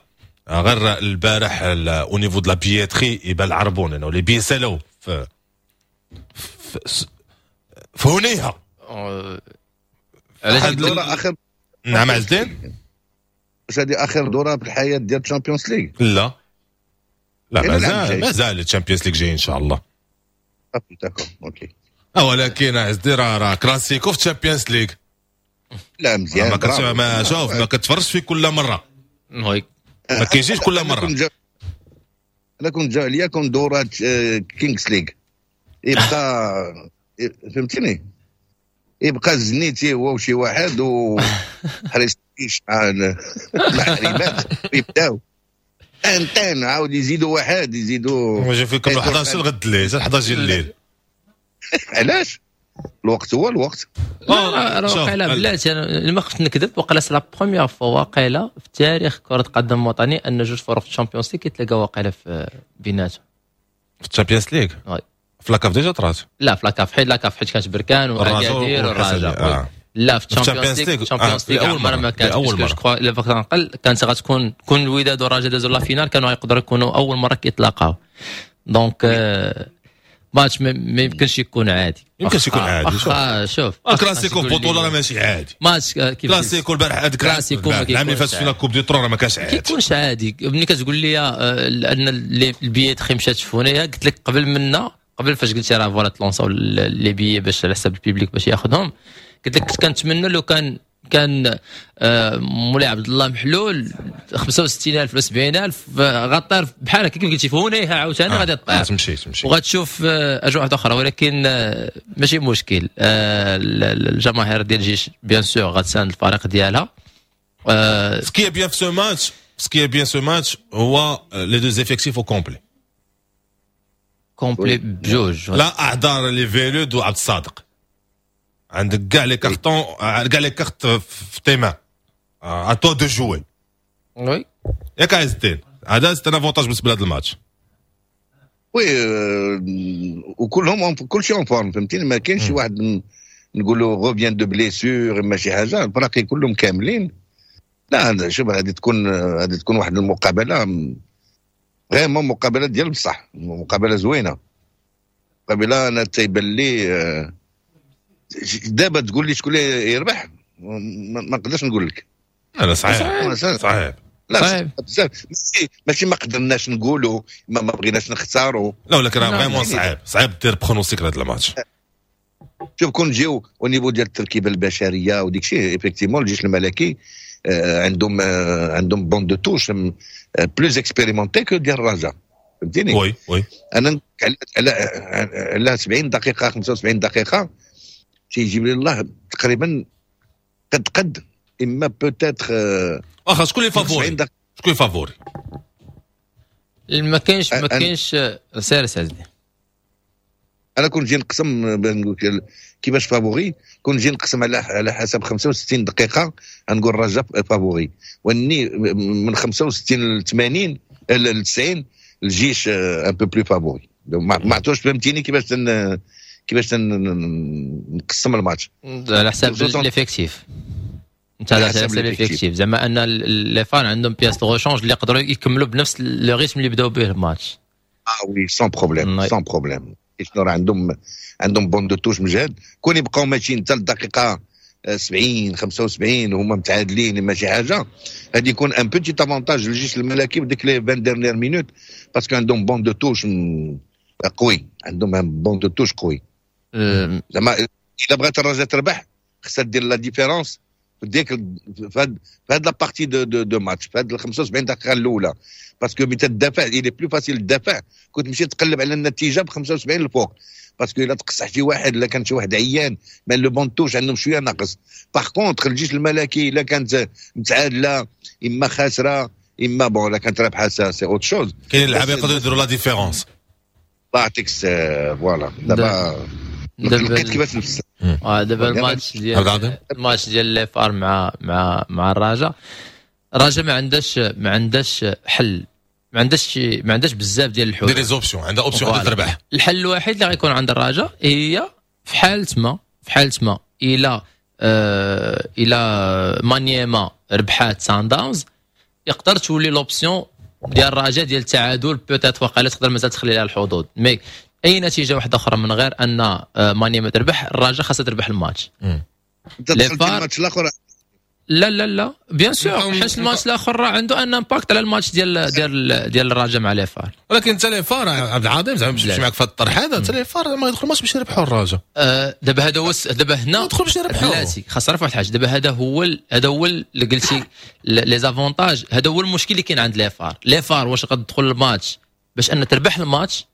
غير البارح au niveau de la billetterie يبان العربون انه les billets سالو في هنيها. علاش؟ اخر نعم عز الدين. واش هذه اخر دوره في الحياة ديال ال Champions League؟ لا لا، مازال مازال ال Champions League جاي ان شاء الله. d'accord، OK. ولكن عز الدين راه كلاسيكو في ال Champions League. لا مزيان. ما, ما شوف، ما كتفرجش في كل مره، ما كيجيش كل مره. انا كنت جا عليا كون دورات Kings League يبقى، فهمتيني، يبقى زنيتي هو وشي واحد و حريستيش مع الحريمات، يبداو ان عاود يزيدوا واحد يزيدوا. ما فيكم 11 غد الليل، 11 الليل. علاش؟ الوقت هو الوقت. لا راه واقيلا، بلاتي، انا ما خفت نكذب، وقيلا c'est la première fois واقيلا في تاريخ كرة القدم الوطني ان جوج فرق في ال Champions League كيتلاقاو واقيلا في بيناتهم. في ال Champions League؟ في la CAF déjà طرات. لا، في la CAF، حيت la CAF حيت كانت بركان واكادير والرجاء. لا، في ال Champions League، ال Champions League اول مرة ما كانت. اول مره. الا فقط نقل كانت غتكون كون الوداد والرجاء دازوا la finale كانوا يقدروا يكونوا اول مرة كيتلاقاو. donc match ما يمكنش يكون عادي. يمكنش يكون عادي. واخا شوف. كلاسيكو في بطوله راه ماشي عادي. ماتش كيف كلاسيكو البارح هذاك كلاسيكو. العام اللي فات في la Coupe du Trône راه ما كانش عادي. كيكونش عادي. ملي كتقول لي ان ال billetterie مشات في هنايا، قلت لك قبل منا قبل فاش قلتي راه voilà تلونساو les billets باش على حساب ال public باش ياخذهم، قلت لك كنت كنتمنى لو كان مولاي عبد الله محلول 65000 ولا 70000 غطير بحال هكا كيف قلتي في هنيها عاوتاني. غادي تطير. تمشي تمشي. وغتشوف اجواء واحدة اخرى، ولكن ماشي مشكل. الجماهير ديال الجيش bien sûr غتساند الفريق ديالها. ce qui est bien في ce match، ce qui est bien ce match هو les deux effectifs au complet. complet بجوج. لا اعذار لفيلود وعبد الصادق، عندك كاع les cartons، كاع les cartes في tes mains، à toi de jouer. oui. ياك عز الدين، هذا c'est un avantage بالنسبة لهذا الماتش. oui، وكلهم كلشي en forme، فهمتيني، ما كاينش شي واحد نقولوا revient de blessure ما شي حاجه، الفراقي كلهم كاملين. لا شوف، غادي تكون واحد المقابلة vraiment مقابله ديال بصح، مقابله زوينه، مقابله انا تيبان لي دابا تقول لي شكون اللي يربح ما نقدرش نقول لك. لا صعيب صعيب. لا صعيب بزاف، ماشي ما قدرناش نقولوا ما بغيناش نختاروا. لا ولكن راه vraiment صعيب صعيب دير pronostic لهذا الماتش. شوف، كون نجيو au niveau ديال التركيبة البشرية وديك الشيء، effectivement الجيش الملكي عندهم banc de touche plus expérimenté que ديال الرجاء، فهمتيني؟ oui oui. انا على 70 دقيقه، 75 دقيقه، تيجيب لي الله تقريبا قد قد، اما peut-être. واخا، شكون اللي favori؟ شكون اللي favori؟ ما كاينش، سير سيدي. انا كنت نجي نقسم كيفاش favori، كون نجي نقسم على حسب 65 دقيقة نقول الرجاء favori، واني من 65 ل 80 ل 90 الجيش un peu plus favori. ما عرفتوش، فهمتيني كيفاش نقسم الماتش. على حساب l'effectif انت، على حساب l'effectif، زعما ان les FAR عندهم pièces de rechange اللي يقدروا يكملوا بنفس le rythme اللي بداو به الماتش. اه oui، sans problème، sans problème. شنو راه عندهم banc de touche مجهد، كون يبقاو ماشيين حتى الدقيقة 70 75 وهما متعادلين ما شي حاجه، غادي يكون un petit avantage للجيش الملكي بديك les 20 dernières minutes، parce que عندهم banc de touche قوي، عندهم un banc de touche قوي. زعما الا بغات الرجاء تربح خصها دير la différence في ديك في هاد la partie de match، في هاد ال 75 دقيقة الاولى، parce que ملي تدافع il est plus facile تدافع كنت تمشي تقلب على النتيجة ب 75 الفوق، parce que الا تقصح شي واحد، الا كان شي واحد عيان، mais le banc de touche عندهم شوية ناقص. par contre الجيش الملكي الا كانت متعادله اما خاسرة اما bon الا كانت رابحه c'est autre chose. كاين اللعابه يقدروا يديروا la différence. الله يعطيك، voilà دابا لقيت كيفاش نفسر. دابا الماتش ديال les FAR مع الرجاء. الرجاء ما عندهاش حل، ما عندهاش بزاف ديال الحلول. des options، عندها option واحدة، تربح. الحل الوحيد اللي غيكون عند الرجاء هي في حاله ما الى مانيما ربحات سان داونز، يقدر تولي l'option ديال الرجاء ديال التعادل peut-être، وقيلا تقدر مازال تخلي لها الحظوظ. mais اي نتيجة واحدة اخرى من غير ان مانيما تربح، الرجاء خاصها تربح الماتش. انت دخلت الماتش الاخر. لا لا لا، bien sûr، حيت الماتش الاخر راه عنده un impact على الماتش ديال الرجاء مع les FAR. ولكن انت les FAR، عبد العظيم، زعما باش نمشي معك في هذا الطرح هذا، انت les FAR ما يدخل الماتش باش يربحوا الرجاء. دابا هذا هو، دابا هنا يدخل باش يربحوا. بلاتي، خاص تعرف واحد الحاجه. دابا هذا هو اللي قلتي les avantages، هذا هو المشكل اللي كاين عند les FAR. les FAR واش غتدخل الماتش باش ان تربح الماتش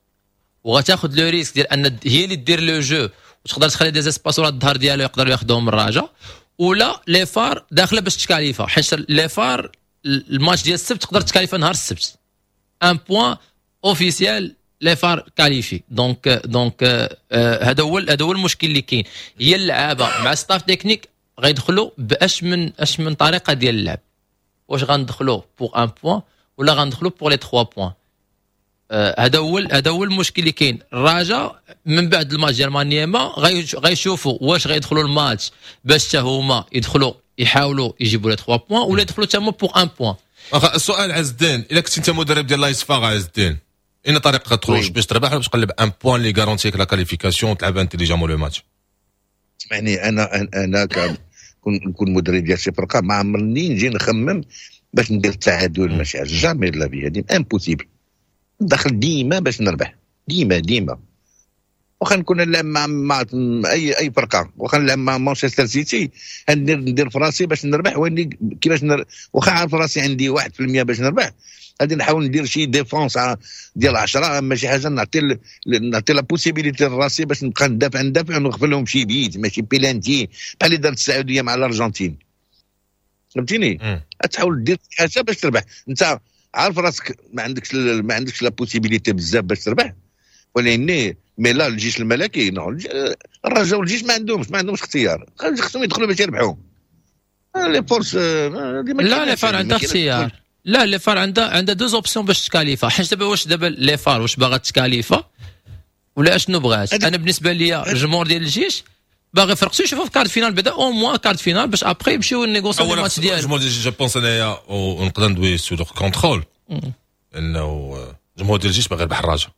وغتاخذ le risque ديال ان هي اللي دير le jeu وتقدر تخلي des espaces ورا الظهر ديالو يقدروا ياخذوهم الرجاء، ولا les FAR داخله باش تكاليفا؟ حيت les FAR الماتش ديال السبت تقدر تكاليفا نهار السبت، un point officiel، les FAR qualifiés. donc هذا هو المشكل اللي كاين، هي اللعابه مع staff technique غيدخلوا باش من اش من طريقه ديال اللعب، واش غندخلوا pour un point ولا غندخلوا pour les 3 points؟ هذا هو المشكل اللي كاين. الرجاء من بعد الماتش ديال مانيما غيشوفوا واش غيدخلوا الماتش باش حتى هما يدخلوا يحاولوا يجيبوا les 3 points ولا يدخلوا حتى هما pour un point. السؤال عز الدين، الا كنت انت مدرب ديال l'AS FAR، عز الدين، اين طريقه تخرج باش تربح ولا باش تقلب un point اللي garantit لك la qualification وتلعب intelligemment le match؟ اسمعني، انا نكون مدرب ديال شي فرقه، ما عمرني نجي نخمم باش ندير التعادل، ماشي jamais de la vie، هذه impossible. ندخل ديما باش نربح، ديما ديما، واخا نكون نلعب مع اي فرقه، واخا نلعب مع مانشستر سيتي، ندير في راسي باش نربح. واني كيفاش واخا عارف راسي عندي 1% باش نربح، غادي نحاول ندير شي défense ديال 10، ماشي حاجه، نعطي la possibilité لراسي باش نبقى ندافع ندافع ونغفل لهم شي بيت، ماشي بيلانتي، بحال اللي دارت السعودية مع الارجنتين، فهمتيني؟ تحاول دير حاجة باش تربح. انت عارف راسك ما عندكش la possibilité بزاف باش تربح، ولكن mais لا، الجيش الملكي non، الرجاء والجيش ما عندهمش اختيار، خصهم يدخلوا باش يربحوا. les forces لا، les FAR عندها اختيار. لا، les FAR عندها deux options باش تكاليفا. حيت دابا واش دابا les FAR واش باغا تكاليفا ولا اشنو بغات؟ انا بالنسبة لي الجمهور ديال الجيش باغي فرقتو يشوفوا في quart de finale بعدا، au moins quart de finale، باش après يمشيو négocier الماتش ديالهم. الجمهور ديال الجيش، je pense انايا، ونقدر ندوي sous contrôle، انه الجمهور ديال الجيش باغي يربح الرجاء.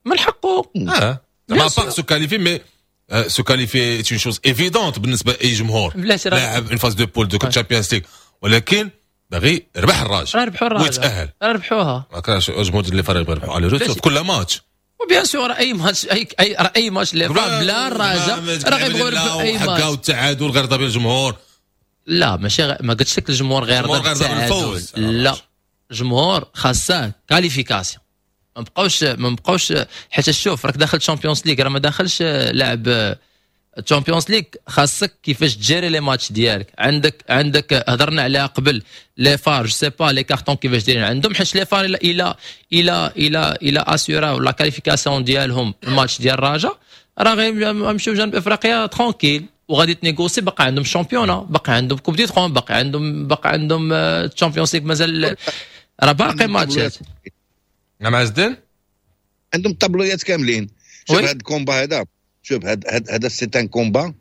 من حقه. اه، à part se qualifier، mais se qualifier c'est une chose évidente بالنسبة لاي جمهور لاعب une phase de poules de Champions League، ولكن باغي يربح الرجاء. راه ربحوا الرجاء. ويتاهل. راه ربحوها. ما كانش الجمهور ديال les FAR يبغي يربحوا aller-retour في كل ماتش. و bien sûr اي ماتش، اي ماتش les FAR بلا الرجاء راه غيبغيو يربحوا اي ماتش. التعادل غير رضا بالجمهور. لا، ماشي ما قلتش لك الجمهور غير رضا بالتعادل. لا، الجمهور خاصة qualification، ما بقاوش، حيت شوف، راك داخل Champions League، راه ما داخلش لاعب Champions League. خاصك كيفاش تجيري les matchs ديالك. عندك هضرنا عليها قبل، les FAR، je sais pas les cartons كيفاش دايرين عندهم، حيت les FAR الى assuraw la qualification ديالهم الماتش ديال الرجاء، راه غيمشيو جنوب افريقيا tranquille وغادي ت négocier. بقى عندهم championnat، بقى عندهم Coupe du Trône، بقى عندهم Champions League، مازال راه باقي ماتشات. نعم عز الدين. عندهم طابلويات كاملين. شوف، هذا ال combat هذا، شوف، هذا c'est un combat.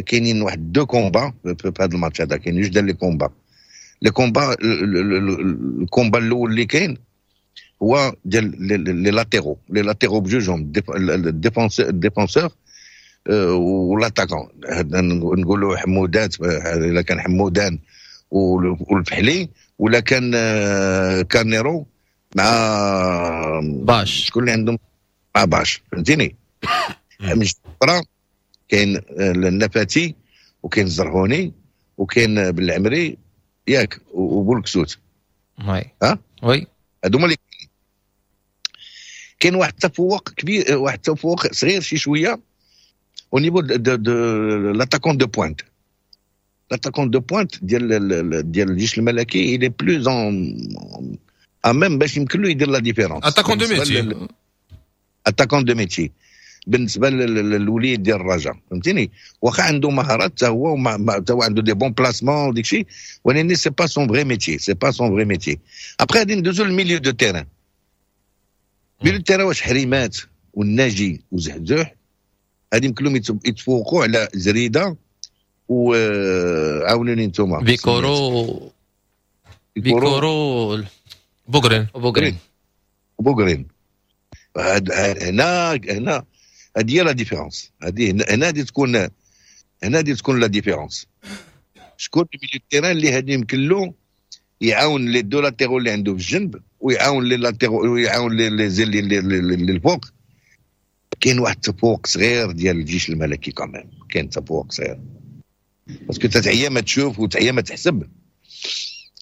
كاينين واحد deux combats في هذا الماتش هذا، كاين جوج ديال les combats. ال combat الاول اللي كاين هو ديال les latéraux بجوجهم، ال défenseur و l'attaquant، نقولوا حمودات، اذا كان حمودان والفحلي ولا كان كارنيرو مع باش. شكون اللي عندهم مع باش، فهمتيني؟ من اخرى كاين النفاتي وكاين الزرهوني وكاين بالعمري، ياك؟ وبولكسوت. oui. ها. oui. هادو هما اللي كاين واحد التفوق كبير، واحد التفوق صغير شي شوية au niveau de l'attaquant de pointe. L'attaquant de pointe ديال الجيش الملكي il est plus en à même باش يمكن له يدير la différence. attaquant de métier. attaquant de métier. بالنسبة للوليد ديال الرجاء، فهمتيني؟ واخا عنده مهارات حتى هو، حتى هو عنده des bons placements وديك الشيء، ولكن c'est pas son vrai métier، c'est pas son vrai métier. après غادي ندوزو لل milieu de terrain. milieu de terrain واش حريمات والناجي وزحزوح غادي يمكن لهم يتفوقوا على زريده وعاونوني نتوما بيكورو بيكورو بوغرين بوغرين. هنا هنا هذه هي la différence، هذه هنا غادي تكون، هنا غادي تكون la différence. شكون milieu terrain اللي غادي يمكن له يعاون les deux latéraux اللي عنده في الجنب ويعاون les latéraux ويعاون les ailiers اللي الفوق. كاين واحد التفوق صغير ديال الجيش الملكي quand même، كاين تفوق صغير parce que تعيا ما تشوف وتعيا ما تحسب،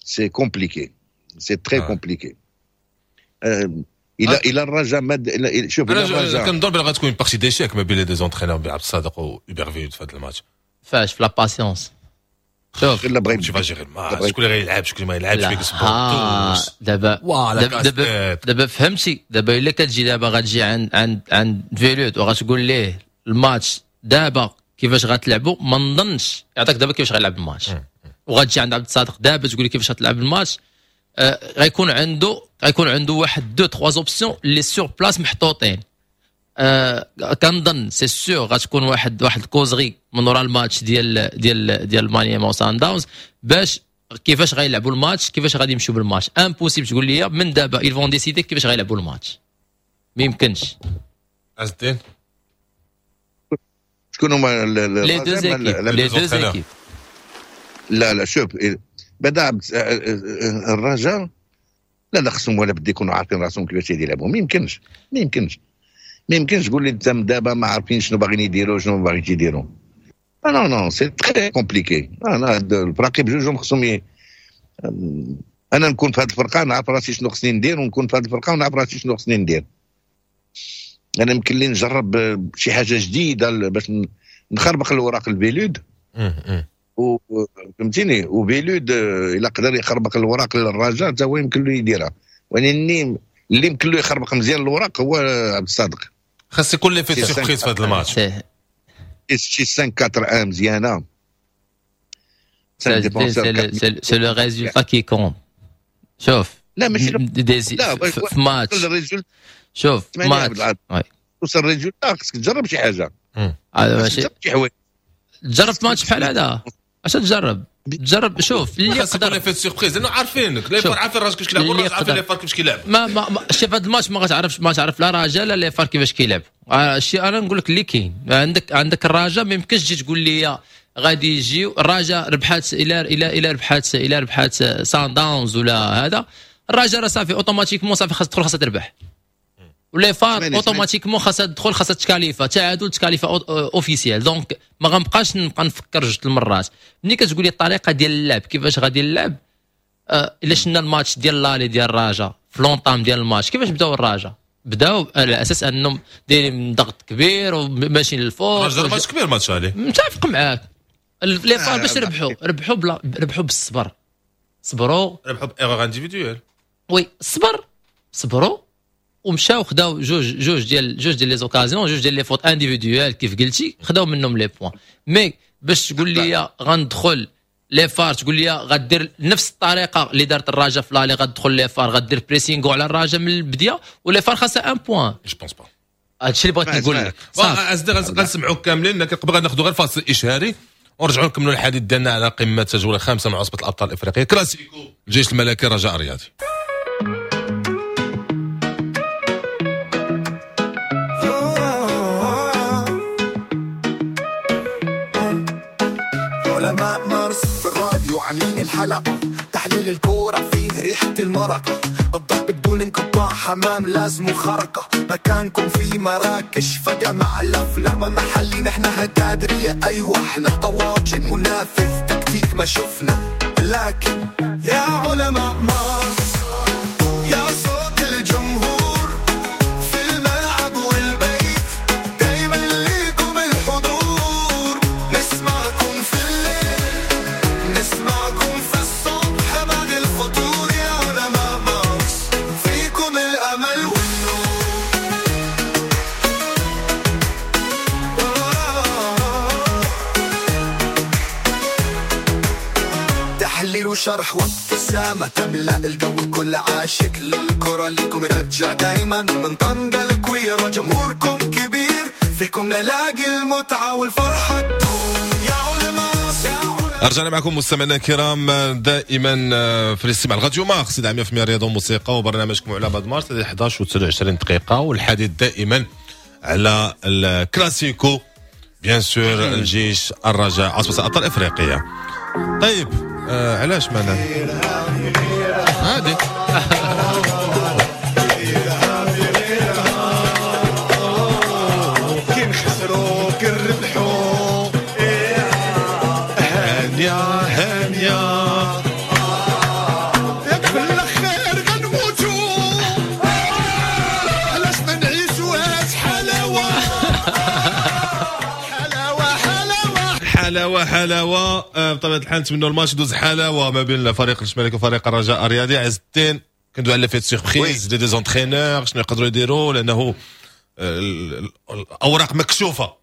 c'est compliqué، c'est très compliqué. الى الرجاء ما شوف الى الرجاء كنظن بلي غتكون partie d'échecs ما بين les deux entraîneurs عبد الصادق وهوبير فيلود في هذا الماتش. فاش في la patience شوف الا بغيت كيفاش gérer الماتش، شكون اللي غيلعب شكون ما يلعبش، فيك دابا دابا فهمتي. دابا الا كتجي دابا غتجي عند عند فيلود وغتقول ليه الماتش دابا كيفاش غتلعبوا، ما نظنش يعطيك دابا كيفاش غيلعب الماتش. وغتجي عند عبد الصادق دابا تقول لي كيفاش غتلعب الماتش، غيكون عنده واحد deux trois options اللي sur place محطوطين. كنظن c'est sûr غتكون واحد ال causerie من ورا الماتش ديال ديال ديال مانيما وسان داونز باش كيفاش غيلعبوا الماتش، كيفاش غادي يمشيو بالماتش. impossible تقول لي من دابا ils vont décider كيفاش غيلعبوا الماتش، ما يمكنش. عز الدين شكون هما les deux équipes؟ les deux équipes لا لا شوف بدا الرجاء لا لا خصهم ولا بد يكونوا عارفين راسهم كيفاش يلعبوا. ما يمكنش ما يمكنش ما يمكنش تقول لي انت دابا ما عارفين شنو باغيين يديروا شنو ما باغيين يديروا. non non c'est très compliqué. انا الفراقي بجوجهم خصهم انا نكون في هذه الفرقة نعرف راسي شنو خصني ندير، ونكون في هذه الفرقة ونعرف راسي شنو خصني ندير. انا يمكن لي نجرب شي حاجة جديدة باش نخربق الوراق الفيلود، فهمتيني؟ وفيلود الا قدر يخربق الوراق للرجاء حتى هو يمكن له يديرها، ولكن اللي يمكن له يخربق مزيان الوراق هو عبد الصادق. خاص يكون l'effet surprise في هذا الماتش. شي 5 4 1 مزيانه. c'est le résultat qui compte. شوف لا ماشي في ماتش، شوف ماتش توصل résultat خصك تجرب شي حاجة. ماشي تجرب ماتش بحال هذا، اش تجرب؟ تجرب شوف اللي يقدر l'effet surprise، لانه عارفينك les FAR عارفين الراجل كيفاش كيلعب، والراجل عارفين les FAR كيفاش كيلعب. ما شوف هذا الماتش ما غتعرفش، ما تعرف لا رجاء لا les FAR كيفاش كيلعب. الشيء انا نقول لك اللي كاين عندك الرجاء ما يمكنش تجي تقول لي غادي يجيو الرجاء ربحات الى الى الى ربحات الى ربحات سان داونز ولا هذا، الرجاء راه صافي automatiquement صافي خاص تدخل خاصها تربح، و les FAR automatiquement خاصها تدخل خاصها تكاليفا تعادل تكاليفا officiel. donc ما غنبقاش نبقى نفكر جوج المرات. ملي كتقول لي الطريقة ديال اللعب كيفاش غادي نلعب، الا شفنا الماتش ديال l'aller ديال الرجاء في l'entame ديال الماتش كيفاش بداو الرجاء؟ بداو على اساس انهم دايرين ضغط كبير وماشيين للفوق. الرجاء ماتش كبير ماتش عليه، متفق معاك. les FAR باش ربحوا ربحوا بالصبر، صبروا ربحوا ب erreurs individuelles. oui الصبر، صبروا ومشاو خداو جوج ديال les occasions، جوج ديال les fautes individuelles كيف قلتي، خداو منهم les points. mais باش تقول لي غندخل les FAR، تقول لي غدير نفس الطريقة اللي دارت الرجاء في l'aller، غتدخل les FAR غدير pressing على الرجاء من البداية و les FAR خاصها un point. je pense pas هادشي اللي بغيت نقول لك. صافي غنسمعوك كاملين، لكن قبل غناخذوا غير فاصل اشهاري ونرجعوا نكملوا الحديث ديالنا على قمة الجولة الخامسة مع عصبه الابطال الافريقية، كلاسيكو الجيش الملكي رجاء الرياضي. علماء مارس في الراديو عاملين الحلقة، تحليل الكورة فيه ريحة المرقة، الضرب بدون انقطاع، حمام لازم خرقة، مكانكم في مراكش فجأة مع الأفلام محلي، نحن هتادرية أيوة احنا طواجن منافذ تكتيك ما شفنا، لكن يا علماء مارس يا صوت الجمهور في الملعب والبيت، دايما ليكم الحضور، نسمعكم في الليل نسمعكم في الصبح بعد الفطور، يا علماء مارس فيكم الأمل والنور. وشرح وابتسامة تملأ الجو، كل عاشق للكرة ليكم يرجع دايما. من طنجة الكويرة جمهوركم كبير، فيكم نلاقي المتعة والفرحة تدوم. يا علماء رجعنا معكم مستمعينا الكرام، دائما في الاستماع لراديو مارس 100% رياضة وموسيقى وبرنامجكم علماء مارس 11 و 29 دقيقه، والحديث دائما على الكلاسيكو bien sûr، الجيش الرجاء، عصبة الابطال الافريقيه. طيب، علاش مانا عادي؟ كي نخسروا كي نربحوا، هانية هانية، ياك في الاخير غنموتوا، علاش ما نعيشوهاش حلاوة حلاوة حلاوة؟ حلاوة حلاوه. بطبيعة الحال نتمنوا الماتش يدوز حلاوة ما بين الفريق الملكي وفريق الرجاء الرياضي. عز الدين، كندوي على l'effet surprise des deux entraîneurs، شنو يقدروا يديروا؟ لانه الاوراق مكشوفة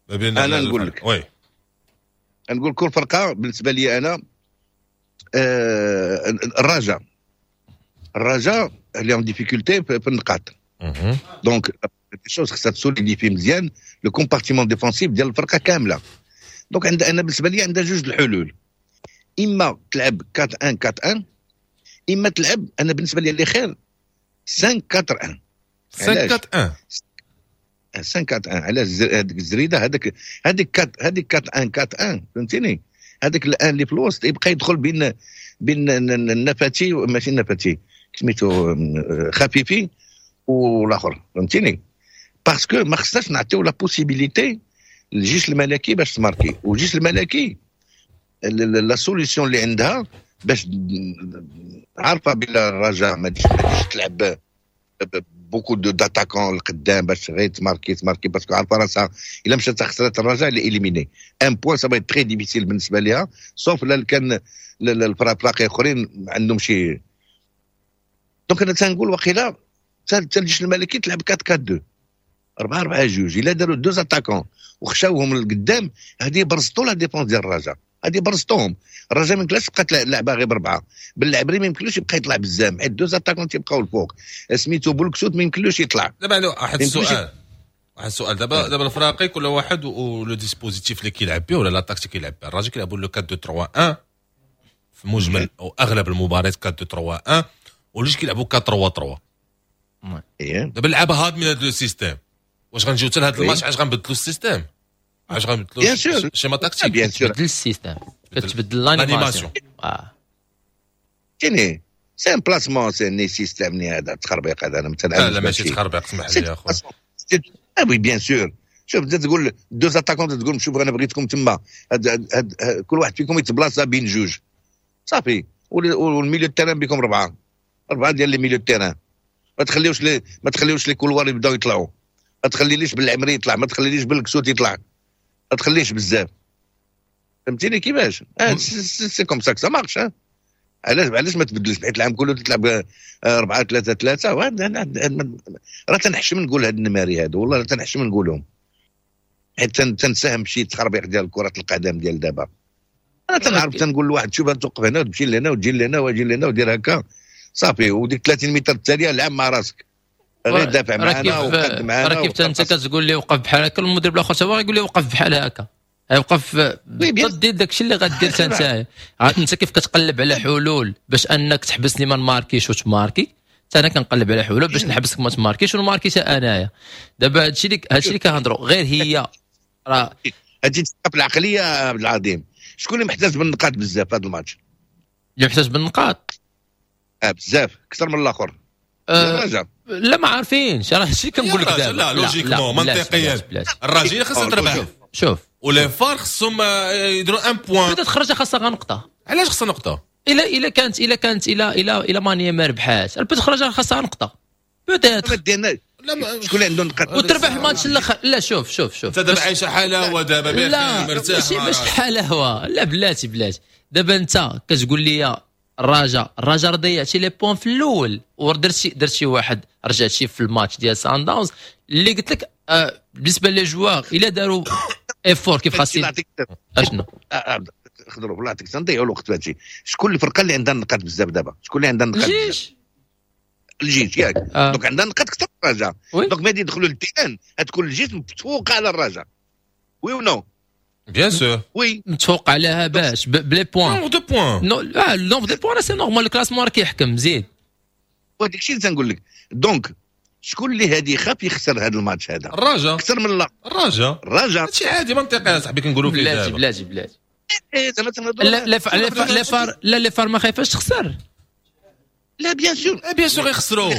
ما بين أنا نقول لك. oui. نقول كل فرقه، بالنسبة لي انا الرجاء اللي en difficulté في النقاط، donc chose خصها ت solidifier مزيان le compartiment défensif ديال الفرقة كامله. donc عند انا بالنسبة لي عندها جوج الحلول: اما تلعب 4 1 4 1، اما تلعب، انا بالنسبة لي اللي خير، 5 4 1. 5 4 1. 5 4 1. علاش؟ هذيك الزريده، هذاك هذيك 4، هذيك 4 1 4 1، فهمتيني؟ هذاك ال un اللي في الوسط يبقى يدخل بين النفاتي، ماشي النفاتي، سميتو خفيفي والاخر، فهمتيني؟ parce que ما خصناش نعطيو la possibilité للجيش الملكي باش تماركي. والجيش الملكي la solution اللي عندها باش عارفه بلا الرجاء ما تجيش تلعب beaucoup d'attaquants القدام باش غير تماركي تماركي، parce que عارفه راسها الا مشات خسرت الرجاء elle est éliminée، un point ça va être très difficile بالنسبة ليها، sauf لا كان الفراقي اخرين عندهم شي. donc انا تنقول وقيلا حتى الجيش الملكي تلعب 4 4 2، 4 4 2. الا داروا deux attaquants وخشاوهم للقدام، هذه برزطوا la défense ديال الرجاء، هذه برزطوهم. الرجاء ما يمكنلاش تبقى تلعبها غير بربعه، بالعبري ما يمكنلوش يبقى يطلع بزاف حيت deux attaquants تيبقاو الفوق، سميتو بولكسوت ما يمكنلوش يطلع. دابا عنده واحد السؤال، واحد السؤال. دابا الفراقي كل واحد و le dispositif اللي كيلعب به ولا la tactique كيلعب بها. الرجاء كيلعبوا le 4 2 3 1 في مجمل او اغلب المباريات 4 2 3 1، والجيش كيلعبوا 4 3 3. دابا اللعابه هاد من هذا le système، واش غنجيو حتى لهذا الماتش علاش غنبدلوا ال système؟ علاش غنبدلوا bien sûr schéma tactique؟ bien sûr. تبدل ال système، كتبدل l'animation. فهمتيني؟ c'est un placement، c'est ni système ni هذا التخربيق هذا، انا لا لا، ماشي تخربيق، اسمح لي يا خويا. اه oui bien sûr. شوف، تقول deux attaquants، تقول شوف انا بغيتكم تما، هاد كل واحد فيكم يتبلاصا بين جوج، صافي. وال milieu terrain بكم اربعه، اربعة ديال les milieux terrain. ما تخليوش les couloirs يبداو يطلعوا، ما تخليليش بالعمري يطلع، ما تخليليش بالكسوت يطلع، ما تخليش بزاف، فهمتيني كيفاش؟ c'est comme ça ça marche. علاش ما تبدلش؟ حيت العام كله تلعب 4 3 3. راه تنحشم نقول هاد النماري هادو، والله تنحشم نقولهم، حيت تنساهم شي تخربيق ديال كرة القدم ديال دابا. انا تنعرف تنقول لواحد شوف توقف هنا وتمشي لهنا وتجي لهنا وتجي لهنا ودير هكا، صافي. وديك 30 متر التالية لعب مع راسك، غير دافع معنا وقد معنا. راه كيف انت كتقول لي وقف بحال هكا، المدرب الاخر هو يقول لي وقف بحال هكا، يوقف ضد داك الشيء اللي غدير انت. انت كيف كتقلب على حلول باش انك تحبسني ما نماركيش وتماركي، حتى انا كنقلب على حلول باش نحبسك ما تماركيش ونماركي حتى انايا. دابا هادشي اللي كنهضروا غير هي راه هادشي في العقلية عبد العظيم. شكون اللي محتاج بالنقاط بزاف في هذا الماتش؟ اللي محتاج بالنقاط؟ اه بزاف اكثر من الاخر. لا، ما عارفينش، راه هادشي كنقول لك دابا. لا، logiquement، منطقيا الرجاء خاصها تربح. شوف. و les FAR خصهم يديروا un point. بدات خرجه خاصها غير نقطه. علاش خاصها نقطة؟ الا كانت الا مانيا ما ربحات، peut-être خرجه خاصها نقطة peut-être. لا، شكون اللي عنده نقاط؟ وتربح الماتش الاخر. لا، شوف شوف شوف. انت دابا عايشه حلاوة دابا. لا، ماشي باش حلاوه، لا، بلاتي بلاتي. دابا انت كتقول لي الرجاء ضيعتي les points في الاول ودرتي واحد، رجعتي في الماتش ديال سان داونز اللي قلت لك. بالنسبة les joueurs الا داروا effort كيف خاصين اشنو خضروا والله يعطيك، تنضيعوا الوقت في هادشي. شكون الفرقة اللي عندها النقاط بزاف دابا؟ شكون اللي عندها النقاط؟ الجيش. الجيش ياك؟ Donc عندها النقاط اكثر من الرجاء. Donc ملي يدخلوا لل terrain غتكون الجيش متفوقه على الرجاء، oui ou non؟ Bien sûr. Oui. متفوق عليها باش ب les points؟ Nombre de points. Non، ال nombre de points c'est normal، ال classement راه كيحكم زيد. وهذاك الشيء اللي تنقول لك، donc شكون اللي هادي يخاف يخسر هذا الماتش هذا؟ الرجاء. اكثر من لا. الرجاء. الرجاء. هادشي عادي منطقي يا صاحبي، كنقولوا فيه. بلاتي. دابا. بلاتي بلاتي. إيه، زعما تنهضروا. لا لا les FAR، لا les FAR ما خايفاش تخسر. لا bien sûr. Bien sûr يخسروا.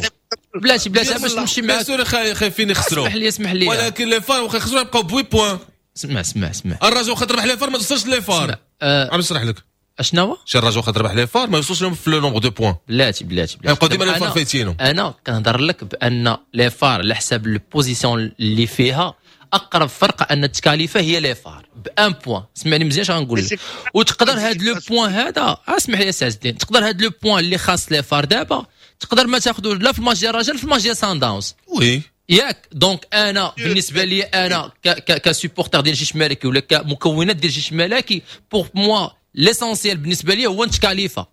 بلاتي بلاتي، باش نمشي bien معاك. sûr خايفين يخسروا. اسمح لي، اسمح لي. ولكن les FAR واخا يخسروا يبقاو ب 8 points. اسمع اسمع اسمع. الرجاء واخا تربح les FAR ما توصلش les FAR. عم نشرح لك. اشنو هو؟ شي الرجاء واخا تربح les FAR ما يوصلش لهم في le nombre de points. بلاتي بلاتي بلاتي. يبقاو ديما les FAR فايتينهم. انا كنهضر لك بان les FAR على حساب ال position اللي فيها اقرب فرقه ان تكاليفا هي les FAR ب un point. اسمعني مزيان اش غنقول لك، وتقدر هاد le point هذا، اسمح لي سي عز الدين، تقدر هاد le point اللي خاص les FAR دابا تقدر ما تاخذو لا في الماتش ديال الرجاء لا في الماتش ديال سان داونز. Oui. ياك؟ Donc انا بالنسبة لي انا ك supporter ديال الجيش الملكي ولا كمكونات ديال الجيش الملكي، pour moi l'essentiel بالنسبة لي هو نتكاليفا.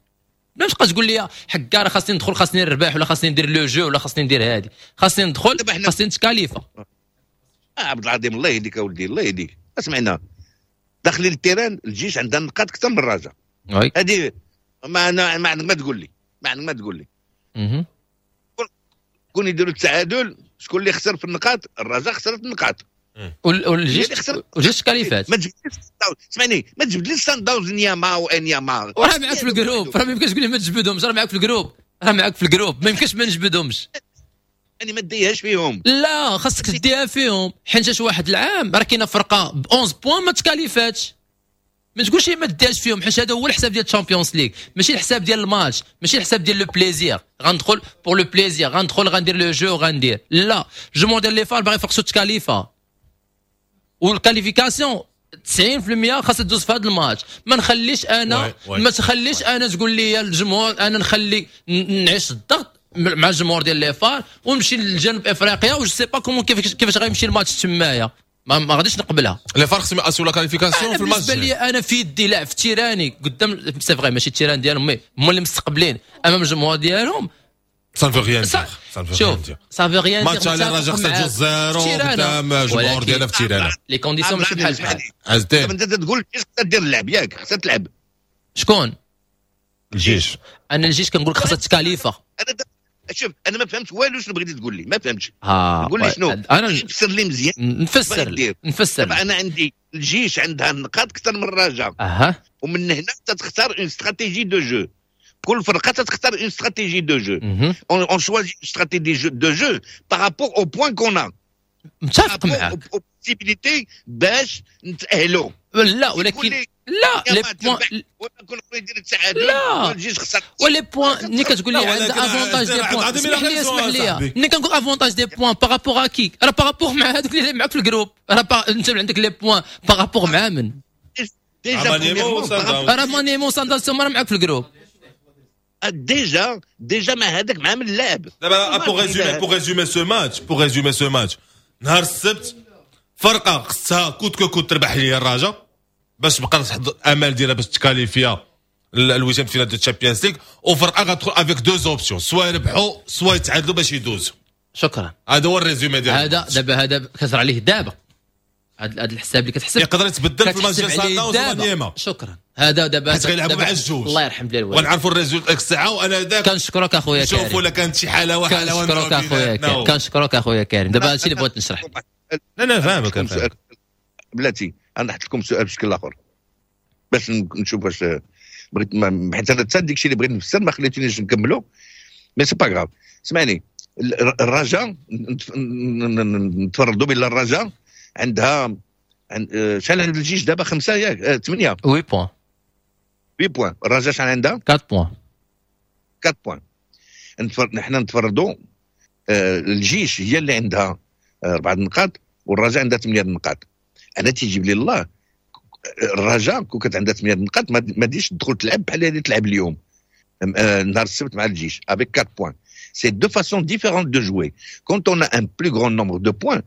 ما تبقاش تقول لي حكا راه خاصني ندخل، خاصني نربح ولا خاصني ندير le jeu ولا خاصني ندير هادي، خاصني ندخل، خاصني نتكاليفا. عبد العظيم، الله يهديك اولدي، الله يهديك. اسمعنا، داخلين ال terrain الجيش عندها نقاط اكثر من الرجاء. هذه ما انا ما عندك ما تقول لي، ما عندك ما تقول لي. كون يديروا التعادل شكون اللي خسر في النقاط؟ الرجاء خسرت النقاط. والجيش والجيش كاليفات. ما تجبدليش، اسمعني، ما تجبدليش سان داونز نياما وانياما. وراه معاك في ال groupe، راه ما يمكنش تقول لي ما تجبدهمش، راه معاك في ال groupe، راه معاك في ال groupe، ما يمكنش ما نجبدهمش. يعني ما ديهاش فيهم. لا، خاصك تديها فيهم، حيت واحد العام راه كاينه فرقه ب 11 points ما تكاليفاتش. ما تقولش ما ديهاش فيهم، حيت هذا هو الحساب ديال ال Champions League، ماشي الحساب ديال الماتش، ماشي الحساب ديال le plaisir، غندخل pour le plaisir، غندخل غندير le jeu غندير. لا، الجمهور ديال les FAR باغي يفرقسو تكاليفا، وال qualification 90% خاصها تدوز في هذا الماتش. ما نخليش انا، ما تخليش انا تقول لي الجمهور، انا نخلي نعيش الضغط مع الجمهور ديال les FAR ونمشي لجنوب افريقيا و je sais pas comment كيفاش غيمشي الماتش تمايا، ما غاديش نقبلها. les FAR خصهم ياسيو la qualification في الماتش. بالنسبة لي انا في يدي لاعب في تيراني قدام، c'est vrai ماشي ال terrain ديالهم، mais هما اللي مستقبلين امام الجمهور ديالهم. Ça veut rien dire. شوف، ça veut rien. ماتش على الرجاء خسر 2-0 قدام الجمهور ديالها في تيرانا. Les conditions ماشي بحال بحال. عز الدين. انت تقول خصها دير اللعب، ياك؟ خصها تلعب. شكون؟ الجيش. انا الجيش كنقول لك خاصها تكاليفا. انا شوف، انا ما فهمت والو، شنو بغيتي تقول لي؟ ما فهمتش. ها. قول لي شنو. انا فسر لي مزيان. نفسر نفسر. انا عندي الجيش عندها النقاط اكثر من الرجاء. ومن هنا تختار une stratégie de jeu، كل فرقه تختار une stratégie de jeu، on choisit stratégie de jeu par rapport aux points qu'on a. متفق معاك. Possibilités باش نتاهلوا. لا ولكن لا les points، لا و les points ملي كتقول لي عندها avantage des points، اسمح لي اسمح لي، ملي كنقول avantage des points par rapport à qui؟ راه par rapport مع هذوك اللي معاك في ال groupe. راه انت عندك les points par rapport مع من؟ راه مانيمو سانداونز راه معاك في ال groupe. Déjà déjà مع هذاك مع من اللعب. دابا pour résumer ce match، نهار السبت فرقه خصها coûte que coûte تربح لي الرجاء باش تبقى تحط امال ديالها باش تكاليفيا ال huitième finale de Champions League، وفرقه غتدخل avec deux options، soit يربحوا soit يتعادلوا باش يدوزوا. شكرا. هذا هو ال résumé ديال هذا دابا، هذا كتهضر عليه دابا، هذا الحساب اللي كتحسب يقدر يتبدل في الماتش ديال سان داونز. شكرا. هذا دابا حيت غيلعبوا مع الجوج. الله يرحم ديال الوالد. ونعرفوا ال résultat ديك الساعة وانا ذاك. كنشكرك اخويا كريم. نشوفوا الا كانت شي حاله واحدة. كنشكرك اخويا كريم، كنشكرك اخويا كريم. دابا هادشي اللي بغيت نشرح. لا لا، فاهمك فاهمك. بلاتي، انا نحط لكم سؤال بشكل اخر باش نشوف واش بغيت، حيت انا حتى ديك الشيء اللي بغيت نفسر ما خليتونيش نكملو، mais c'est pas grave. اسمعني، الرجاء نتفرضوا بان الرجاء عندها شحال عند الجيش دابا؟ خمسة ياك؟ ثمانيه. 8 points. 8 points. الرجاء شحال عندها؟ 4 points. 4 points. نحن نتفرضوا الجيش هي اللي عندها اربعة نقاط والرجاء عندها ثمانية نقاط. انا تيجيب لي الله الرجاء كون كانت عندها ثمانية نقاط ما ديش تدخل تلعب بحال اللي تلعب اليوم نهار السبت مع الجيش avec 4 points. C'est deux façons différentes de jouer. Quand on a un plus grand nombre de points,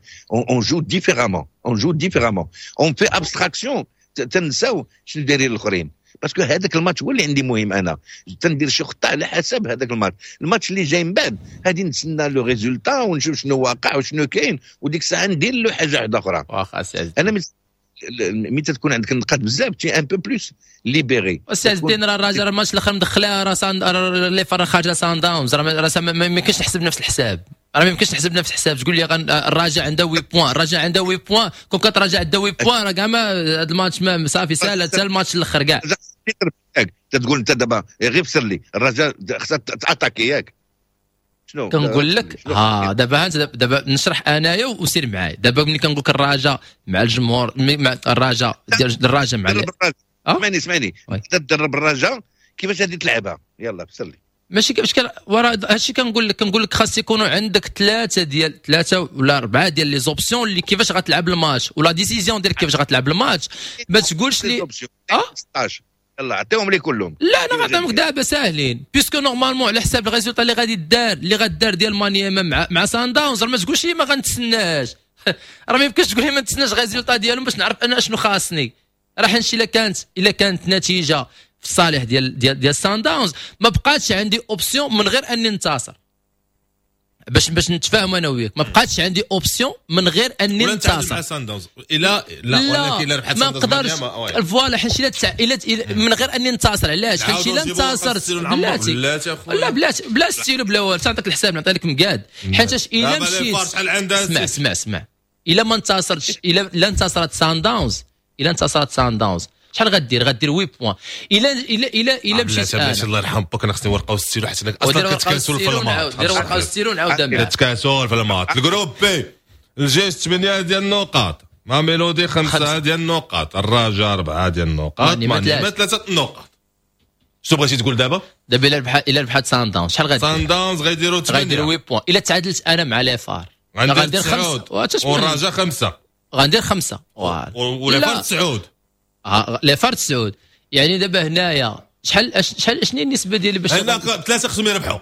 on joue différemment. On joue différemment. On fait abstraction. تنساو شنو دايرين الاخرين. parce que هذاك الماتش هو اللي عندي مهم. انا تندير شي خطه على حسب هذاك الماتش. الماتش اللي جاي من بعد غادي نتسنى le résultat ونشوف شنو واقع وشنو كاين، وديك الساعة ندير له حاجة واحدة اخرى. واخا سي، انا ملي تكون عندك النقاط بزاف t'es un peu plus libéré. استاذ الدين، راه الراجل الماتش الاخر مدخلها راه les FAR خارجه سان داونز، راه ما يمكنش تحسب نفس الحساب، راه ما يمكنش تحسب نفس الحساب. تقول لي الرجاء عنده 8 points، الرجاء عنده 8 points، كون كانت الرجاء عندها 8 points راه كاع ما هذا الماتش ما صافي سالا حتى الماتش الاخر كاع. تقول انت دابا غير فسر لي، الرجاء خصها ت attaquer ياك؟ شنو كنقول لك؟ ها دابا دابا نشرح انايا وسير معايا. دابا ملي كنقول لك الرجاء مع الجمهور، مع الرجاء ديال الرجاء مع اسمعني اسمعني، تدرب الرجاء كيفاش غادي تلعبها؟ يلا فسر لي. ماشي كيفاش ورا هادشي كنقول لك، كنقول لك خاص يكونوا عندك ثلاثة ديال ثلاثة ولا اربعة ديال les options اللي كيفاش غتلعب الماتش ولا décision ديال كيفاش غتلعب الماتش. ما تقولش لي 16، يلا عطيهم لي كلهم. لا، انا غنعطيهم لك دابا ساهلين، puisque normalement على حساب ال résultat اللي غادي دار اللي غدار ديال مانيما مع سان داونز، ما تقولش لي ما غنتسناش. راه ما يمكنش تقول لي ما نتسناش résultat ديالهم باش نعرف انا اشنو خاصني. راه حنشي الا كانت نتيجة في الصالح ديال سان داونز، ما بقاتش عندي option من غير اني ننتصر. باش نتفاهم انا وياك، ما بقاتش عندي option من غير اني ننتصر مع سان داونز. الى لا، ولكن الا ربحت ما نقدرش، voilà، حيت الا من غير اني ننتصر. علاش؟ حيت الا انتصرت، بلاتي، لا بلاتي، بلا ستيلو بلا والو، تعطيك الحساب نعطي لك مقاد. حيت الا مشيت، اسمع اسمع اسمع، الا ما انتصرتش، الا لا انتصرت سان داونز، الا انتصرت سان داونز شحال غدير؟ غدير 8 points. الا مشيت انا، الله يرحم باك، انا خصني ورقة وستيلو حيت اصلا كتكاسل في ال maths. دير ورقة وستيلو نعاود معاك. كتكاسل في ال maths. ال groupe B، الجيش 8 ديال النقاط، ماميلودي 5 ديال النقاط، الرجاء 4 ديال النقاط، مانيما 3 النقاط. شنو بغيتي تقول دابا؟ دابا الا ربحت سان داونز شحال غادي؟ سان داونز غيديروا 8. غيديروا 8 points. الا تعادلت انا مع les FAR غندير 5، والرجاء 5. غندير 5. و les FAR 9. Les FAR 9. يعني دابا هنايا شحال شنو النسبة ديالي باش هنا ثلاثة خصهم يربحوا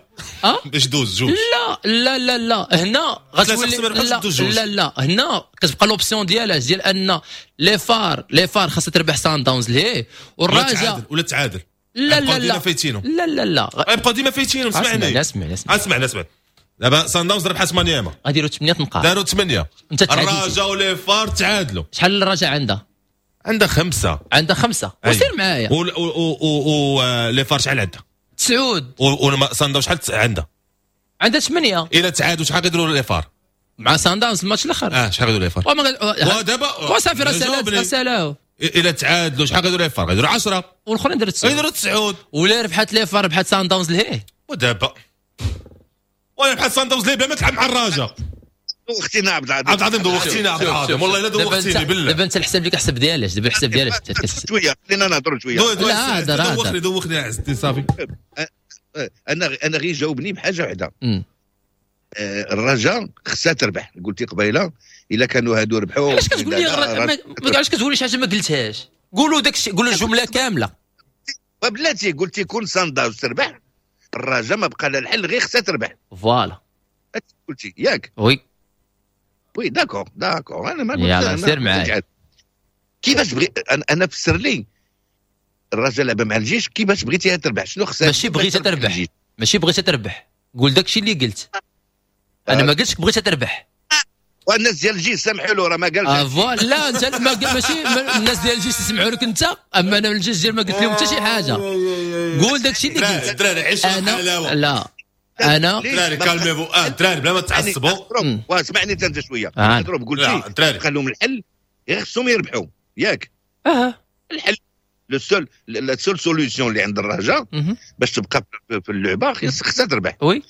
باش دوز جوج. لا لا لا لا، هنا غتولي لا لا لا، هنا كتبقى l'option ديالها ديال ان les FAR خاصها تربح سان داونز ليه والرجاء ولا تعادل. لا لا لا فايتينو. لا لا لا. غيبقاو ديما فايتينو. اسمعني. اسمع اسمع اسمع اسمع، دابا سان داونز ربحت مانياما. غاديروا 8 نقاط. داروا 8. انت الرجاء و les FAR تعادلوا. شحال الرجاء عندها؟ عندها 5. عندها 5، وسير معايا. و les FAR شحال عندها؟ 9. وسان داونز شحال عندها؟ عندها 8. الى تعادلوا شحال غيديروا les FAR؟ مع سان داونز الماتش الاخر. اه، شحال غيديروا les FAR؟ ودابا وصافي راه سالاو. الى تعادلوا شحال غيديروا les FAR؟ غيديروا 10. والاخرين داروا 9. غيديروا 9. ولا ربحت les FAR، ربحت سان داونز لهيه. ودابا ولا ربحت سان داونز ليه بلا ما تلعب مع الرجاء. دوختينا عبد العظيم. عبد العظيم، دوختينا عبد العظيم، والله الا دوختيني بالله. دابا انت الحساب اللي كحسب ديالاش؟ دابا الحساب ديالاش؟ شويه، خلينا نهضروا شويه. لا هضر. دوخني دوخني يا عزتي، صافي. انا غير جاوبني بحاجة وحده. الرجاء خصها تربح، قلتي قبيلة الا كانوا هادو ربحوا. علاش كتقول لي، علاش كتقول لي شي حاجة ما قلتهاش؟ قولوا داك الشيء، قولوا الجملة كامله. بلاتي، قلتي كون سان داونز تربح الرجاء ما بقى لها الحل غير خصها تربح. voilà. قلتي ياك؟ oui. oui، d'accord d'accord، انا ما يلا سير معايا. كيفاش بغي انا فسر لي، الرجاء لعب مع الجيش، كيفاش بغيتيها تربح؟ شنو خصها؟ ماشي بغيتها تربح، ماشي بغيتها تربح. قول داكشي اللي قلت انا، ما قلتش بغيتها تربح. والناس ديال الجيش سامحوا له، راه ما قالش. آه voilà، لا انت ما ماشي الناس ديال الجيش يسمعوا لك انت، اما انا من الجيش ديال ما قلت لهم حتى شي حاجه. قول داكشي اللي قلت. الدراري عيشوا انا لا انا دراري calmez-vous، دراري بلا ما تعصبوا. واسمعني انت شويه، اضرب. قلتي بقى لهم الحل غير خصهم يربحوا، ياك؟ اه. الحل le seul la seule solution اللي عند الرجاء باش تبقى في اللعبة خصها تربح. oui.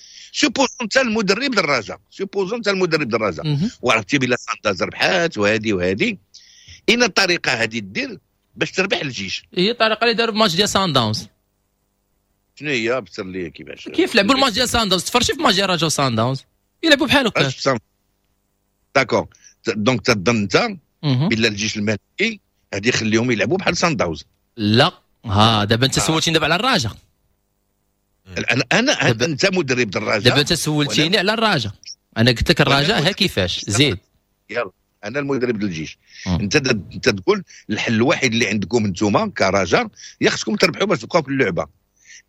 supposons انت المدرب ديال supposons انت المدرب ديال الرجاء وعرفتي بلا سانداز ربحات وهذه وهذه، اين الطريقة هذه دير باش تربح الجيش؟ هي الطريقة اللي داروا في ماتش ديال سان داونز. شنو هي؟ بصر لي كيفاش. كيف لعبوا الماتش ديال سان داونز؟ تفرجي في ماتش ديال الرجاء سان داونز، يلعبوا بحال هكا. d'accord، donc تظن انت بلا الجيش الملكي غادي يخليهم يلعبوا بحال سان داونز؟ لا، ها دابا انت سولتيني دابا على الرجاء. انا انت مدرب الرجاء. دابا انت سولتيني على الرجاء، انا قلت لك الرجاء ها كيفاش زيد. يلا. انا المدرب ديال الجيش، انت تقول الحل الوحيد اللي عندكم انتم كرجاء يا خصكم تربحوا باش تبقاو في اللعبة.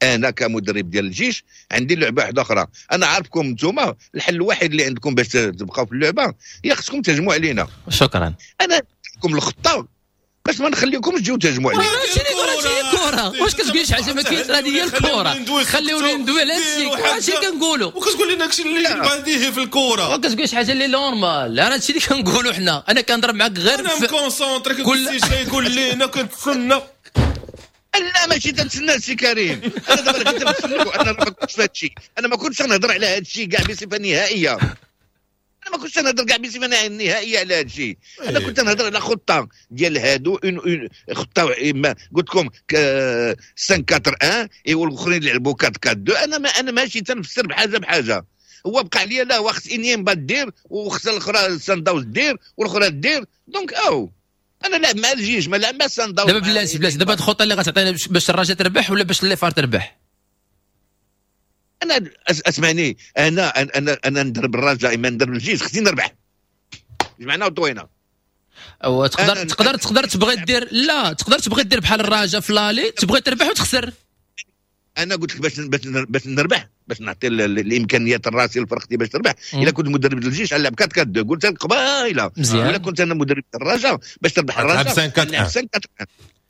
انا كمدرب ديال الجيش عندي لعبه واحدة اخرى، انا عارفكم انتم الحل الوحيد اللي عندكم باش تبقاو في اللعبة يا خصكم تهجموا علينا. شكرا. انا لكم الخطة باش ما نخليكمش تجيو تهجموا علينا. الكره واش كتقول شي حاجة ما كاينش، هذه هي الكره. خليوني ندوي على هادشي، هادشي كنقولوا. وكتقول لنا داكشي اللي بديهي في الكره، وكتقول شي حاجة اللي normal. انا هادشي اللي كنقولوا حنا. انا كنضرب معاك غير انا م concentré، كنت شي يقول لي انا كنتسنى. لا ماشي تنتسنى سي كريم، انا دابا كنت نتسنى، انا ما كنتش في هادشي، انا ما كنتش نهضر على هادشي كاع بصفة نهائية. انا ما كنتش نهضر كاع بصفة نهائية على هادشي. انا كنت نهضر على خطه ديال هادو، خطه ما قلت لكم 5 4 1 والاخرين لعبوا 4 4 2. انا ماشي تنفسر بحاجة بحاجة. هو بقى عليا لا وخص انيمبا دير وخص الاخرى سانداوز دير والاخرى دير، donc او انا لعب مع الجيش ما لعب مع سانداوز. دابا بلاتي بلاتي، دابا الخطة اللي غتعطينا باش الرجاء تربح ولا باش les FAR تربح؟ انا اسمعني، انا انا انا ندرب الرجاء اما ندرب الجيش خصني نربح، جمعنا وطوينا. او تقدر تقدر تقدر تبغي دير، لا تقدر تبغي دير بحال الرجاء في l'aller، تبغي تربح وتخسر. انا قلت لك باش نربح، باش نعطي الامكانيات الراسية لفرقتي باش تربح. الا كنت مدرب الجيش نلعب 4 4 2، قلت لك قبيلة. الا كنت انا مدرب الرجاء باش تربح الرجاء 5 4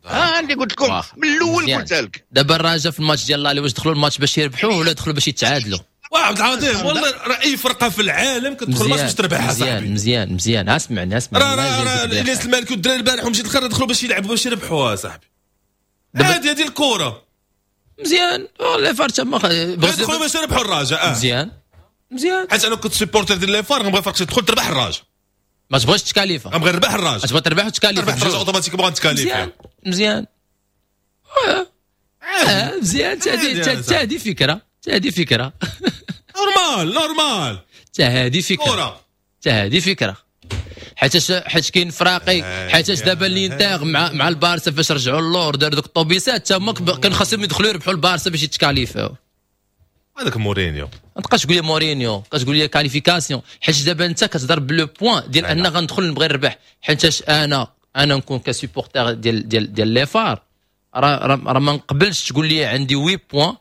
1. اللي قلت لكم من الاول قلت لك. دابا الرجاء في الماتش ديال l'aller واش دخلوا الماتش باش يربحوه ولا دخلوا باش يتعادلوا؟ وعبد العظيم والله راه اي فرقه في العالم كتدخل الماتش باش تربحها صاحبي. مزيان مزيان، اسمعني اسمعني. راه الياس المالكي والدراري البارح ومشيت الخير دخلوا باش يلعبوا باش يربحوها صاحبي. هذه الكره مزيان. les FAR تما دخلوا باش يربحوا الرجاء. مزيان مزيان، حيت انا كنت supporter ديال les FAR، غنبغي فرقتي تدخل تربح الرجاء. ما تبغيش تكاليفا، غنبغي نربح الرجاء. تبغي تربح وتكاليفا، تربح الرجاء automatiquement غنتكاليفا. مزيان مزيان. تا هذه فكرة، تا هذه فكرة. normal normal. تا هذه فكرة، تا هذه فكرة. حيت كاين فراقي، حيت دابا الانتر مع البارسا فاش رجعوا اللور داروا دوك الطوبيسات تما كان خاصهم يدخلوا يربحوا البارسا باش يتكاليفاو. هذاك مورينيو. ما تبقاش تقول لي مورينيو، تقول لي qualification، حيت دابا انت كتضرب ب le point ديال ان غندخل نبغي نربح. حيت انا نكون ك supporter ديال les FAR، راه ما نقبلش تقول لي عندي 8 points،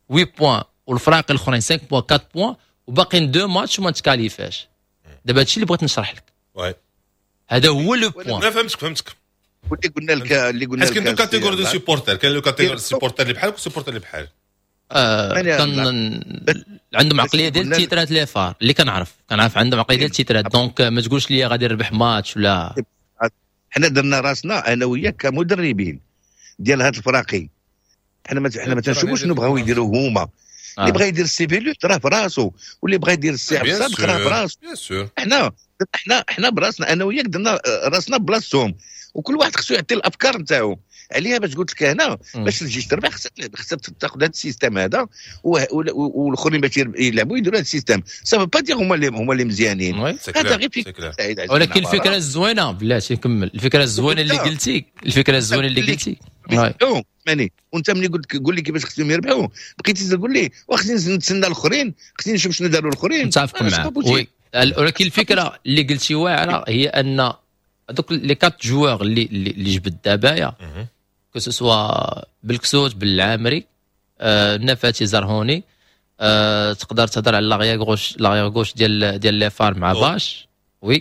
8 points والفراق الاخرين 5 points، 4 points وباقيين deux matchs وما تكاليفاش. دابا هادشي اللي بغيت نشرح لك. oui هذا هو le point. لا فهمتك فهمتك. واللي قلنا لك اللي قلنا لك كاين deux catégories de supporters، كاين le catégorie supporter اللي بحالك و supporter اللي بحال كان عندهم عقلية ديال التيترات les FAR اللي كنعرف عندهم عقلية ديال التيترات، donc ما تقولش لي غادي نربح ماتش ولا. حنا درنا راسنا انا وياك كمدربين ديال هاد الفراقي، حنا ما تنشوفوش شنو بغاو يديروا هما. اللي بغى يدير السي بيلوت راه في راسو، واللي بغى يدير السي عبد الصادق راه في راسو. حنا براسنا انا وياك درنا راسنا بلاصتهم، وكل واحد خصو يعطي الافكار نتاعو عليها. باش قلت لك انا باش الجيش تربح خصها تاخذ هذا ال système هذا، والاخرين باش يلعبوا يديروا هذا ال système. ça veut pas dire هما اللي مزيانين، هذا غير فكرة. ولكن الفكرة الزوينه، بلاتي نكمل، الفكرة الزوينة اللي قلتي، الفكرة الزوينة اللي قلتي. ماني وانت ملي قلت قول لي كيفاش خصهم يربحوا، بقيتي تقول لي وخصني نتسنى الاخرين، خصني نشوف شنو داروا الاخرين. متفق معك، oui، ولكن الفكرة اللي قلتي واعرة هي ان هذوك les quatre joueurs اللي جبد دابايا، que ce soit بالكسوت، بالعامري، نفاتي، زرهوني، تقدر تهضر على l'arrière gauche ديال les FAR مع باش، oui،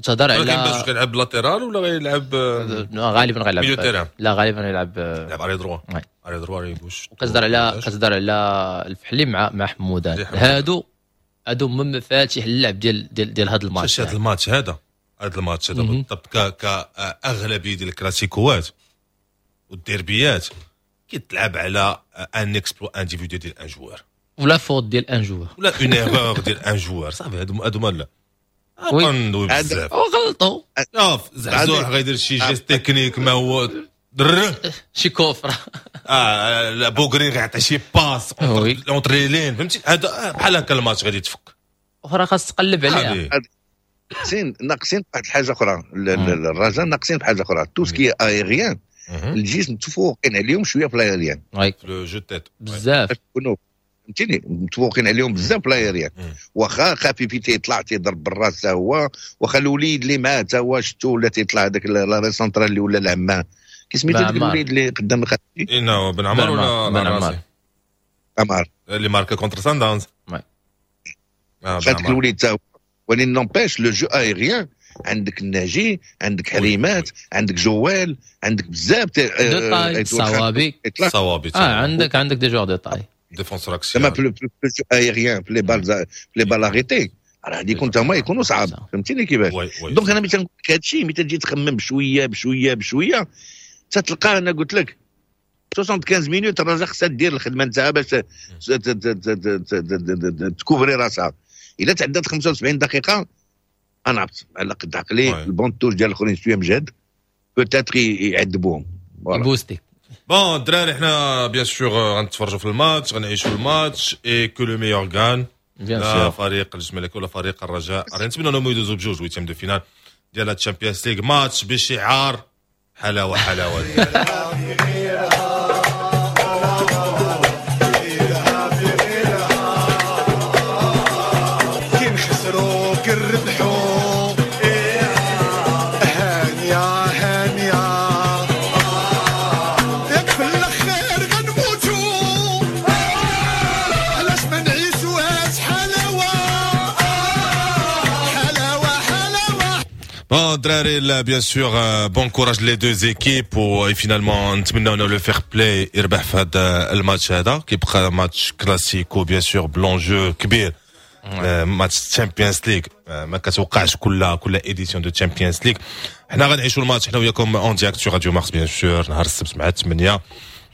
تهضر على باش كيلعب latéral ولا غيلعب؟ غالبا غيلعب milieu terrain. لا، غالبا يلعب. يلعب arrière droit، arrière droit، arrière gauche. وكتهضر على الفحلي مع حمودان. هادو من مفاتيح اللعب ديال هذا الماتش. هذا الماتش هذا بالضبط كاغلبيه ديال الكلاسيكوات والديربيات كيتلعب على un exploit individuel ديال un joueur. ولا faute ديال un joueur. ولا une erreur ديال un joueur. صافي، هادو ما لا ندوي بزاف. وغلطوا. شوف، زعزوع غيدير شي geste technique ما هو در شي coup franc. لا، بوغرين غيعطي شي passe entre les lignes، فهمتي؟ هذا بحال هكا الماتش غادي يتفك. اخرى خاص تقلب عليها. ناقصين واحد الحاجة اخرى، الرجاء ناقصين بحاجة اخرى، tout ce qui est aérien. الجيش متفوقين عليهم شوية في l'aérien. le jeu de tête. بزاف. فهمتيني، متفوقين عليهم بزاف في l'aérien. واخا خفيفي تيطلع تيضرب بالراس حتى هو، واخا الوليد اللي معاه حتى هو شفتو ولا تيطلع هذاك l'arrière central اللي ولا العماه، كي سميتو داك الوليد اللي قدام الخفيفي؟ إنه بن عمر ولا بن عمر؟ عمر اللي ماركا contre سان داونز. هذاك الوليد حتى هو، ولكن n'empêche le jeu aérien عندك الناجي، عندك حريمات، عندك جوال، عندك بزاف de taille، صوابي صوابي. عندك des joueurs de taille، défenseur axial. زعما في le jeu aérien، في les balles arrêtées راه غادي يكون تما يكونوا صعاب، فهمتيني كيفاش؟ donc انا ملي تنقول لك هادشي، ملي تجي تخمم بشوية بشوية بشوية تتلقى، انا قلت لك 75 minutes الرجاء خصها دير الخدمة نتاعها باش تكوفري راسها. الا تعدات 75 دقيقة انا عرفت على قد عقلي ال banc de touche ديال الاخرين شوية مجهد، peut-être يعذبوهم. بوستي. bon الدراري، حنا bien sûr غنتفرجوا في الماتش، غنعيشوا الماتش، et que le meilleur gagne. لا فريق الجيش الملكي ولا فريق الرجاء، نتمنى انهم يدوزوا بجوج huitième de finale ديال ال Champions League. ماتش بشعار حلاوة حلاوة. كي نخسروا كي نربحوا هانيه هانيه، ياك في الاخير غنموتوا، علاش ما نعيشوهاش حلاوة حلاوة حلاوة. bon الدراري، bien sûr bon courage les deux équipes، و finalement نتمنى انه le fair-play يربح في هذا الماتش هذا. كيبقى ماتش كلاسيكو bien sûr ب l'enjeu كبير، ماتش Champions League ما كتوقعش كل édition de Champions League. حنا غنعيشوا الماتش حنا وياكم en direct sur Radio Mars bien sûr نهار السبت مع 8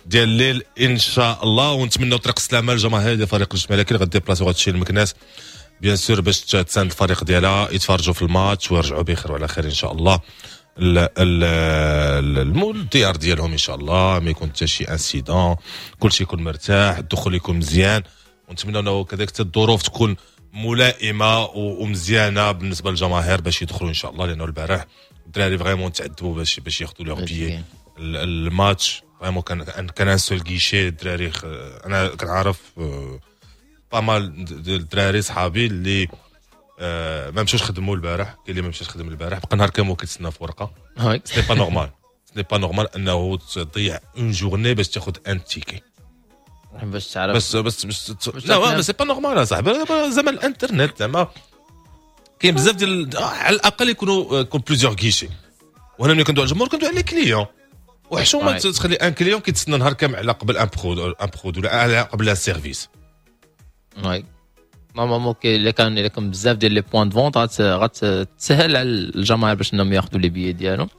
ديال الليل ان شاء الله، ونتمنوا طريق السلامة للجماهير ديال فريق الجيش الملكي اللي غديبلاسيو هادشي لمكناس bien sûr باش تساند الفريق ديالها، يتفرجوا في الماتش ويرجعوا بخير وعلى خير ان شاء الله الديار ديالهم ان شاء الله، ما يكون حتى شي incident، كلشي يكون مرتاح، الدخول يكون مزيان، ونتمنى انه كذلك حتى الظروف تكون ملائمه ومزيانه بالنسبة للجماهير باش يدخلوا ان شاء الله، لانه البارح الدراري vraiment تعذبوا باش ياخذوا leurs billets. الماتش vraiment كان un seul guichet. الدراري انا كنعرف pas mal ديال الدراري صحابي اللي ما مشاوش خدموا البارح، كاين اللي ما مشاش خدم البارح، بقى نهار كامل كيتسنى في ورقة. c'est pas normal، c'est pas normal انه تضيع une journée باش تاخذ un ticket. باش تعرف بس لا c'est pas normal اصاحبي، زعما الانترنت زعما كاين بزاف ديال، على الاقل يكونوا plusieurs guichets. وهنا ملي كندوي على الجمهور كندوي على les clients، وحشومه تخلي un client كيتسنى نهار كامل على قبل un produit ولا على قبل un service. oui، normalement الا كان بزاف ديال les points de vente غتسهل على الجماهير باش انهم ياخذوا les billets ديالهم،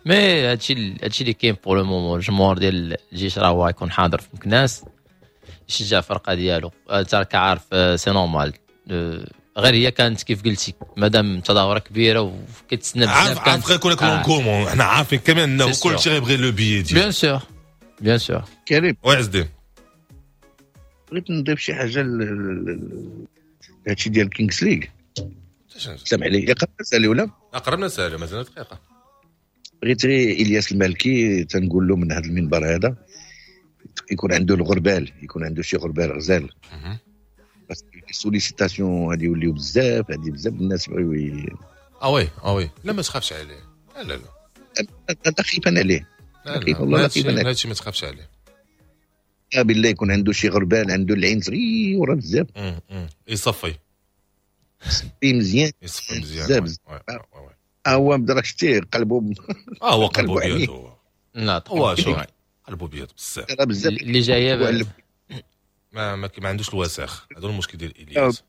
mais هادشي اللي كاين pour le moment. الجمهور ديال الجيش راه هو يكون حاضر في مكناس يشجع الفرقة ديالو، انت راك عارف، c'est normal. غير هي كانت كيف قلتي مادام تظاهرة كبيرة وكتسنى بزاف. عارف غيكون لك l'engouement، حنا عارفين كمان انه كلشي غيبغي le billet ديالو. bien sûr، bien sûr. كريم. oui عز الدين. بغيت نضيف شي حاجة هادشي ديال Kings League. سامح لي، قربنا نسالي ولا؟ قربنا نسالي، مازال دقيقه. بغيت غير الياس المالكي تنقول له من هذا المنبر هذا يكون عنده الغربال، يكون عنده شي غربال غزال، parce que sollicitations غادي يوليو بزاف، هادي بزاف الناس بغيو. اه oui اه oui، لا ما تخافش عليه، لا لا لا. انا خايفان عليه. لا لا، والله هادشي ما تخافش عليه. بالله يكون عنده شي غربال، عنده العين صغيرة بزاف. يصفي. يصفي مزيان. يصفي مزيان. بزاف. هو راك شتي قلبه. اه هو قلبه بيض هو. لا. هو شوف قلبه بيض بزاف. بزاف. اللي جاية. ما عندوش الوساخ، هذا هو المشكل ديال الياس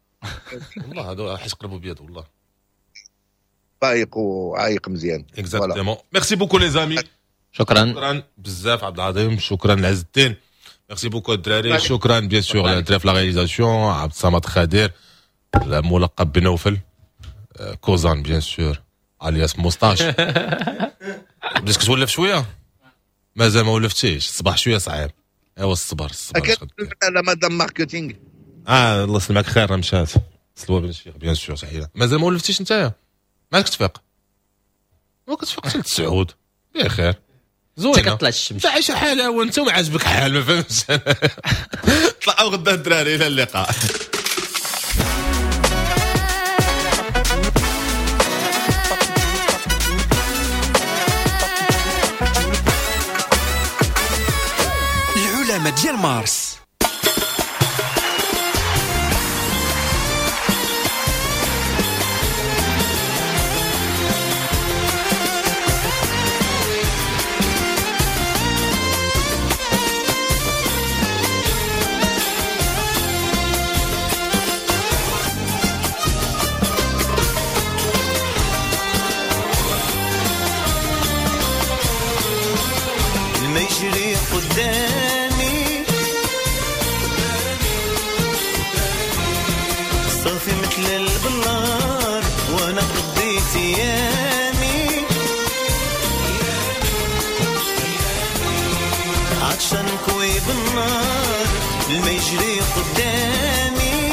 والله، هذا حيت قلبه بيض والله. فايق وعايق مزيان. exactement، merci beaucoup les amis. شكرا. شكرا بزاف عبد العظيم، شكرا عز الدين، merci beaucoup الدراري، شكرا bien sûr الدراري في la réalisation، عبد الصمد خادر الملقب بنوفل كوزان bien sûr alias moustache. بديت كتولف شويه؟ مازال ما ولفتيش، الصباح شوية صعيب، ايوا الصبر الصبر. la madame marketing. اه الله يسلمك خير، مشات سلوى بن الشيخ bien sûr تحية. مازال ما ولفتيش نتايا؟ مالك تفيق؟ ما كتفيق حتى لتسعود، بخير. زوينة. كطلع الشمس. انت عايشه حاله وانت ما عاجبك حال، ما فهمتش. طلعوا غدا الدراري، الى اللقاء. العلماء ديال مارس. المجري قدامي صافي مثل البلار، وانا قضيت ايامي عطشان كوي بالنار. المجري قدامي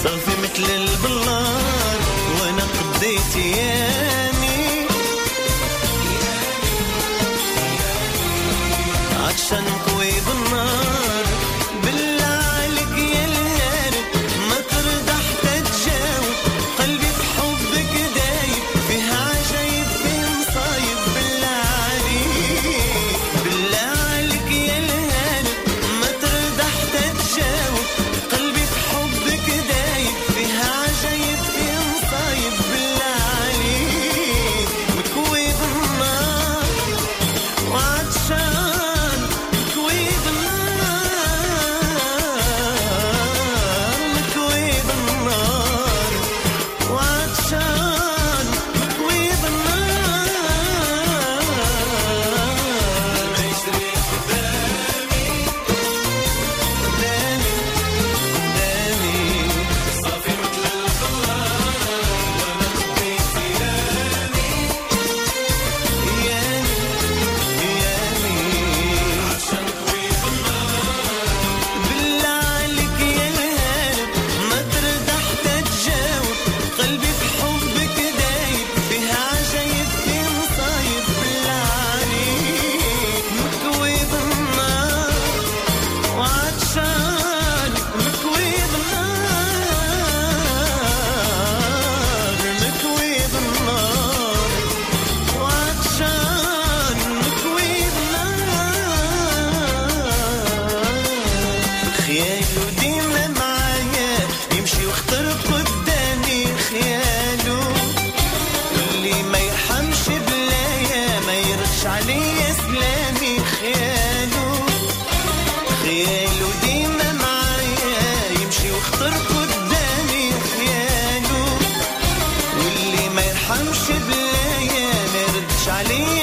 صافي مثل البلار، وانا قضيت ايامي عطشان كوي بالنار. بالله عليك يا الهارب ما ترضى حتى تجاوب، قلبي بحبك دايب فيها عجايب فيه مصايب. بالله عليك، بالله عليك يا الهارب ما ترضى حتى تجاوب، قلبي بحبك دايب فيها عجايب فيه مصايب. بالله عليك مكوي بالنار وعطشان، مكوي بالنار، مكوي بالنار وعطشان، مكوي بالنار. المجري قدامي قدامي قدامي صافي مثل الخلار، وانا قضيت ايامي ايامي ايامي عشان كوي بالنار. بالله عليك يا الهارب ما ترضى حتى تجاوب، قلبي بحبك دايب فيها عجايب فيه مصايب. بالله عليك مكوي بالنار وعطشان، مكوي بالنار، مكوي بالنار وعطشان، مكوي بالنار. خياله ديما معايا يمشي وخطر قدامي، خياله اللي ما يرحمش بلايا ما يردش عليا سلامي. خياله، خياله ديما معايا يمشي وخطر قدامي، خياله واللي ما يرحمش بلايا ما يردش عليا.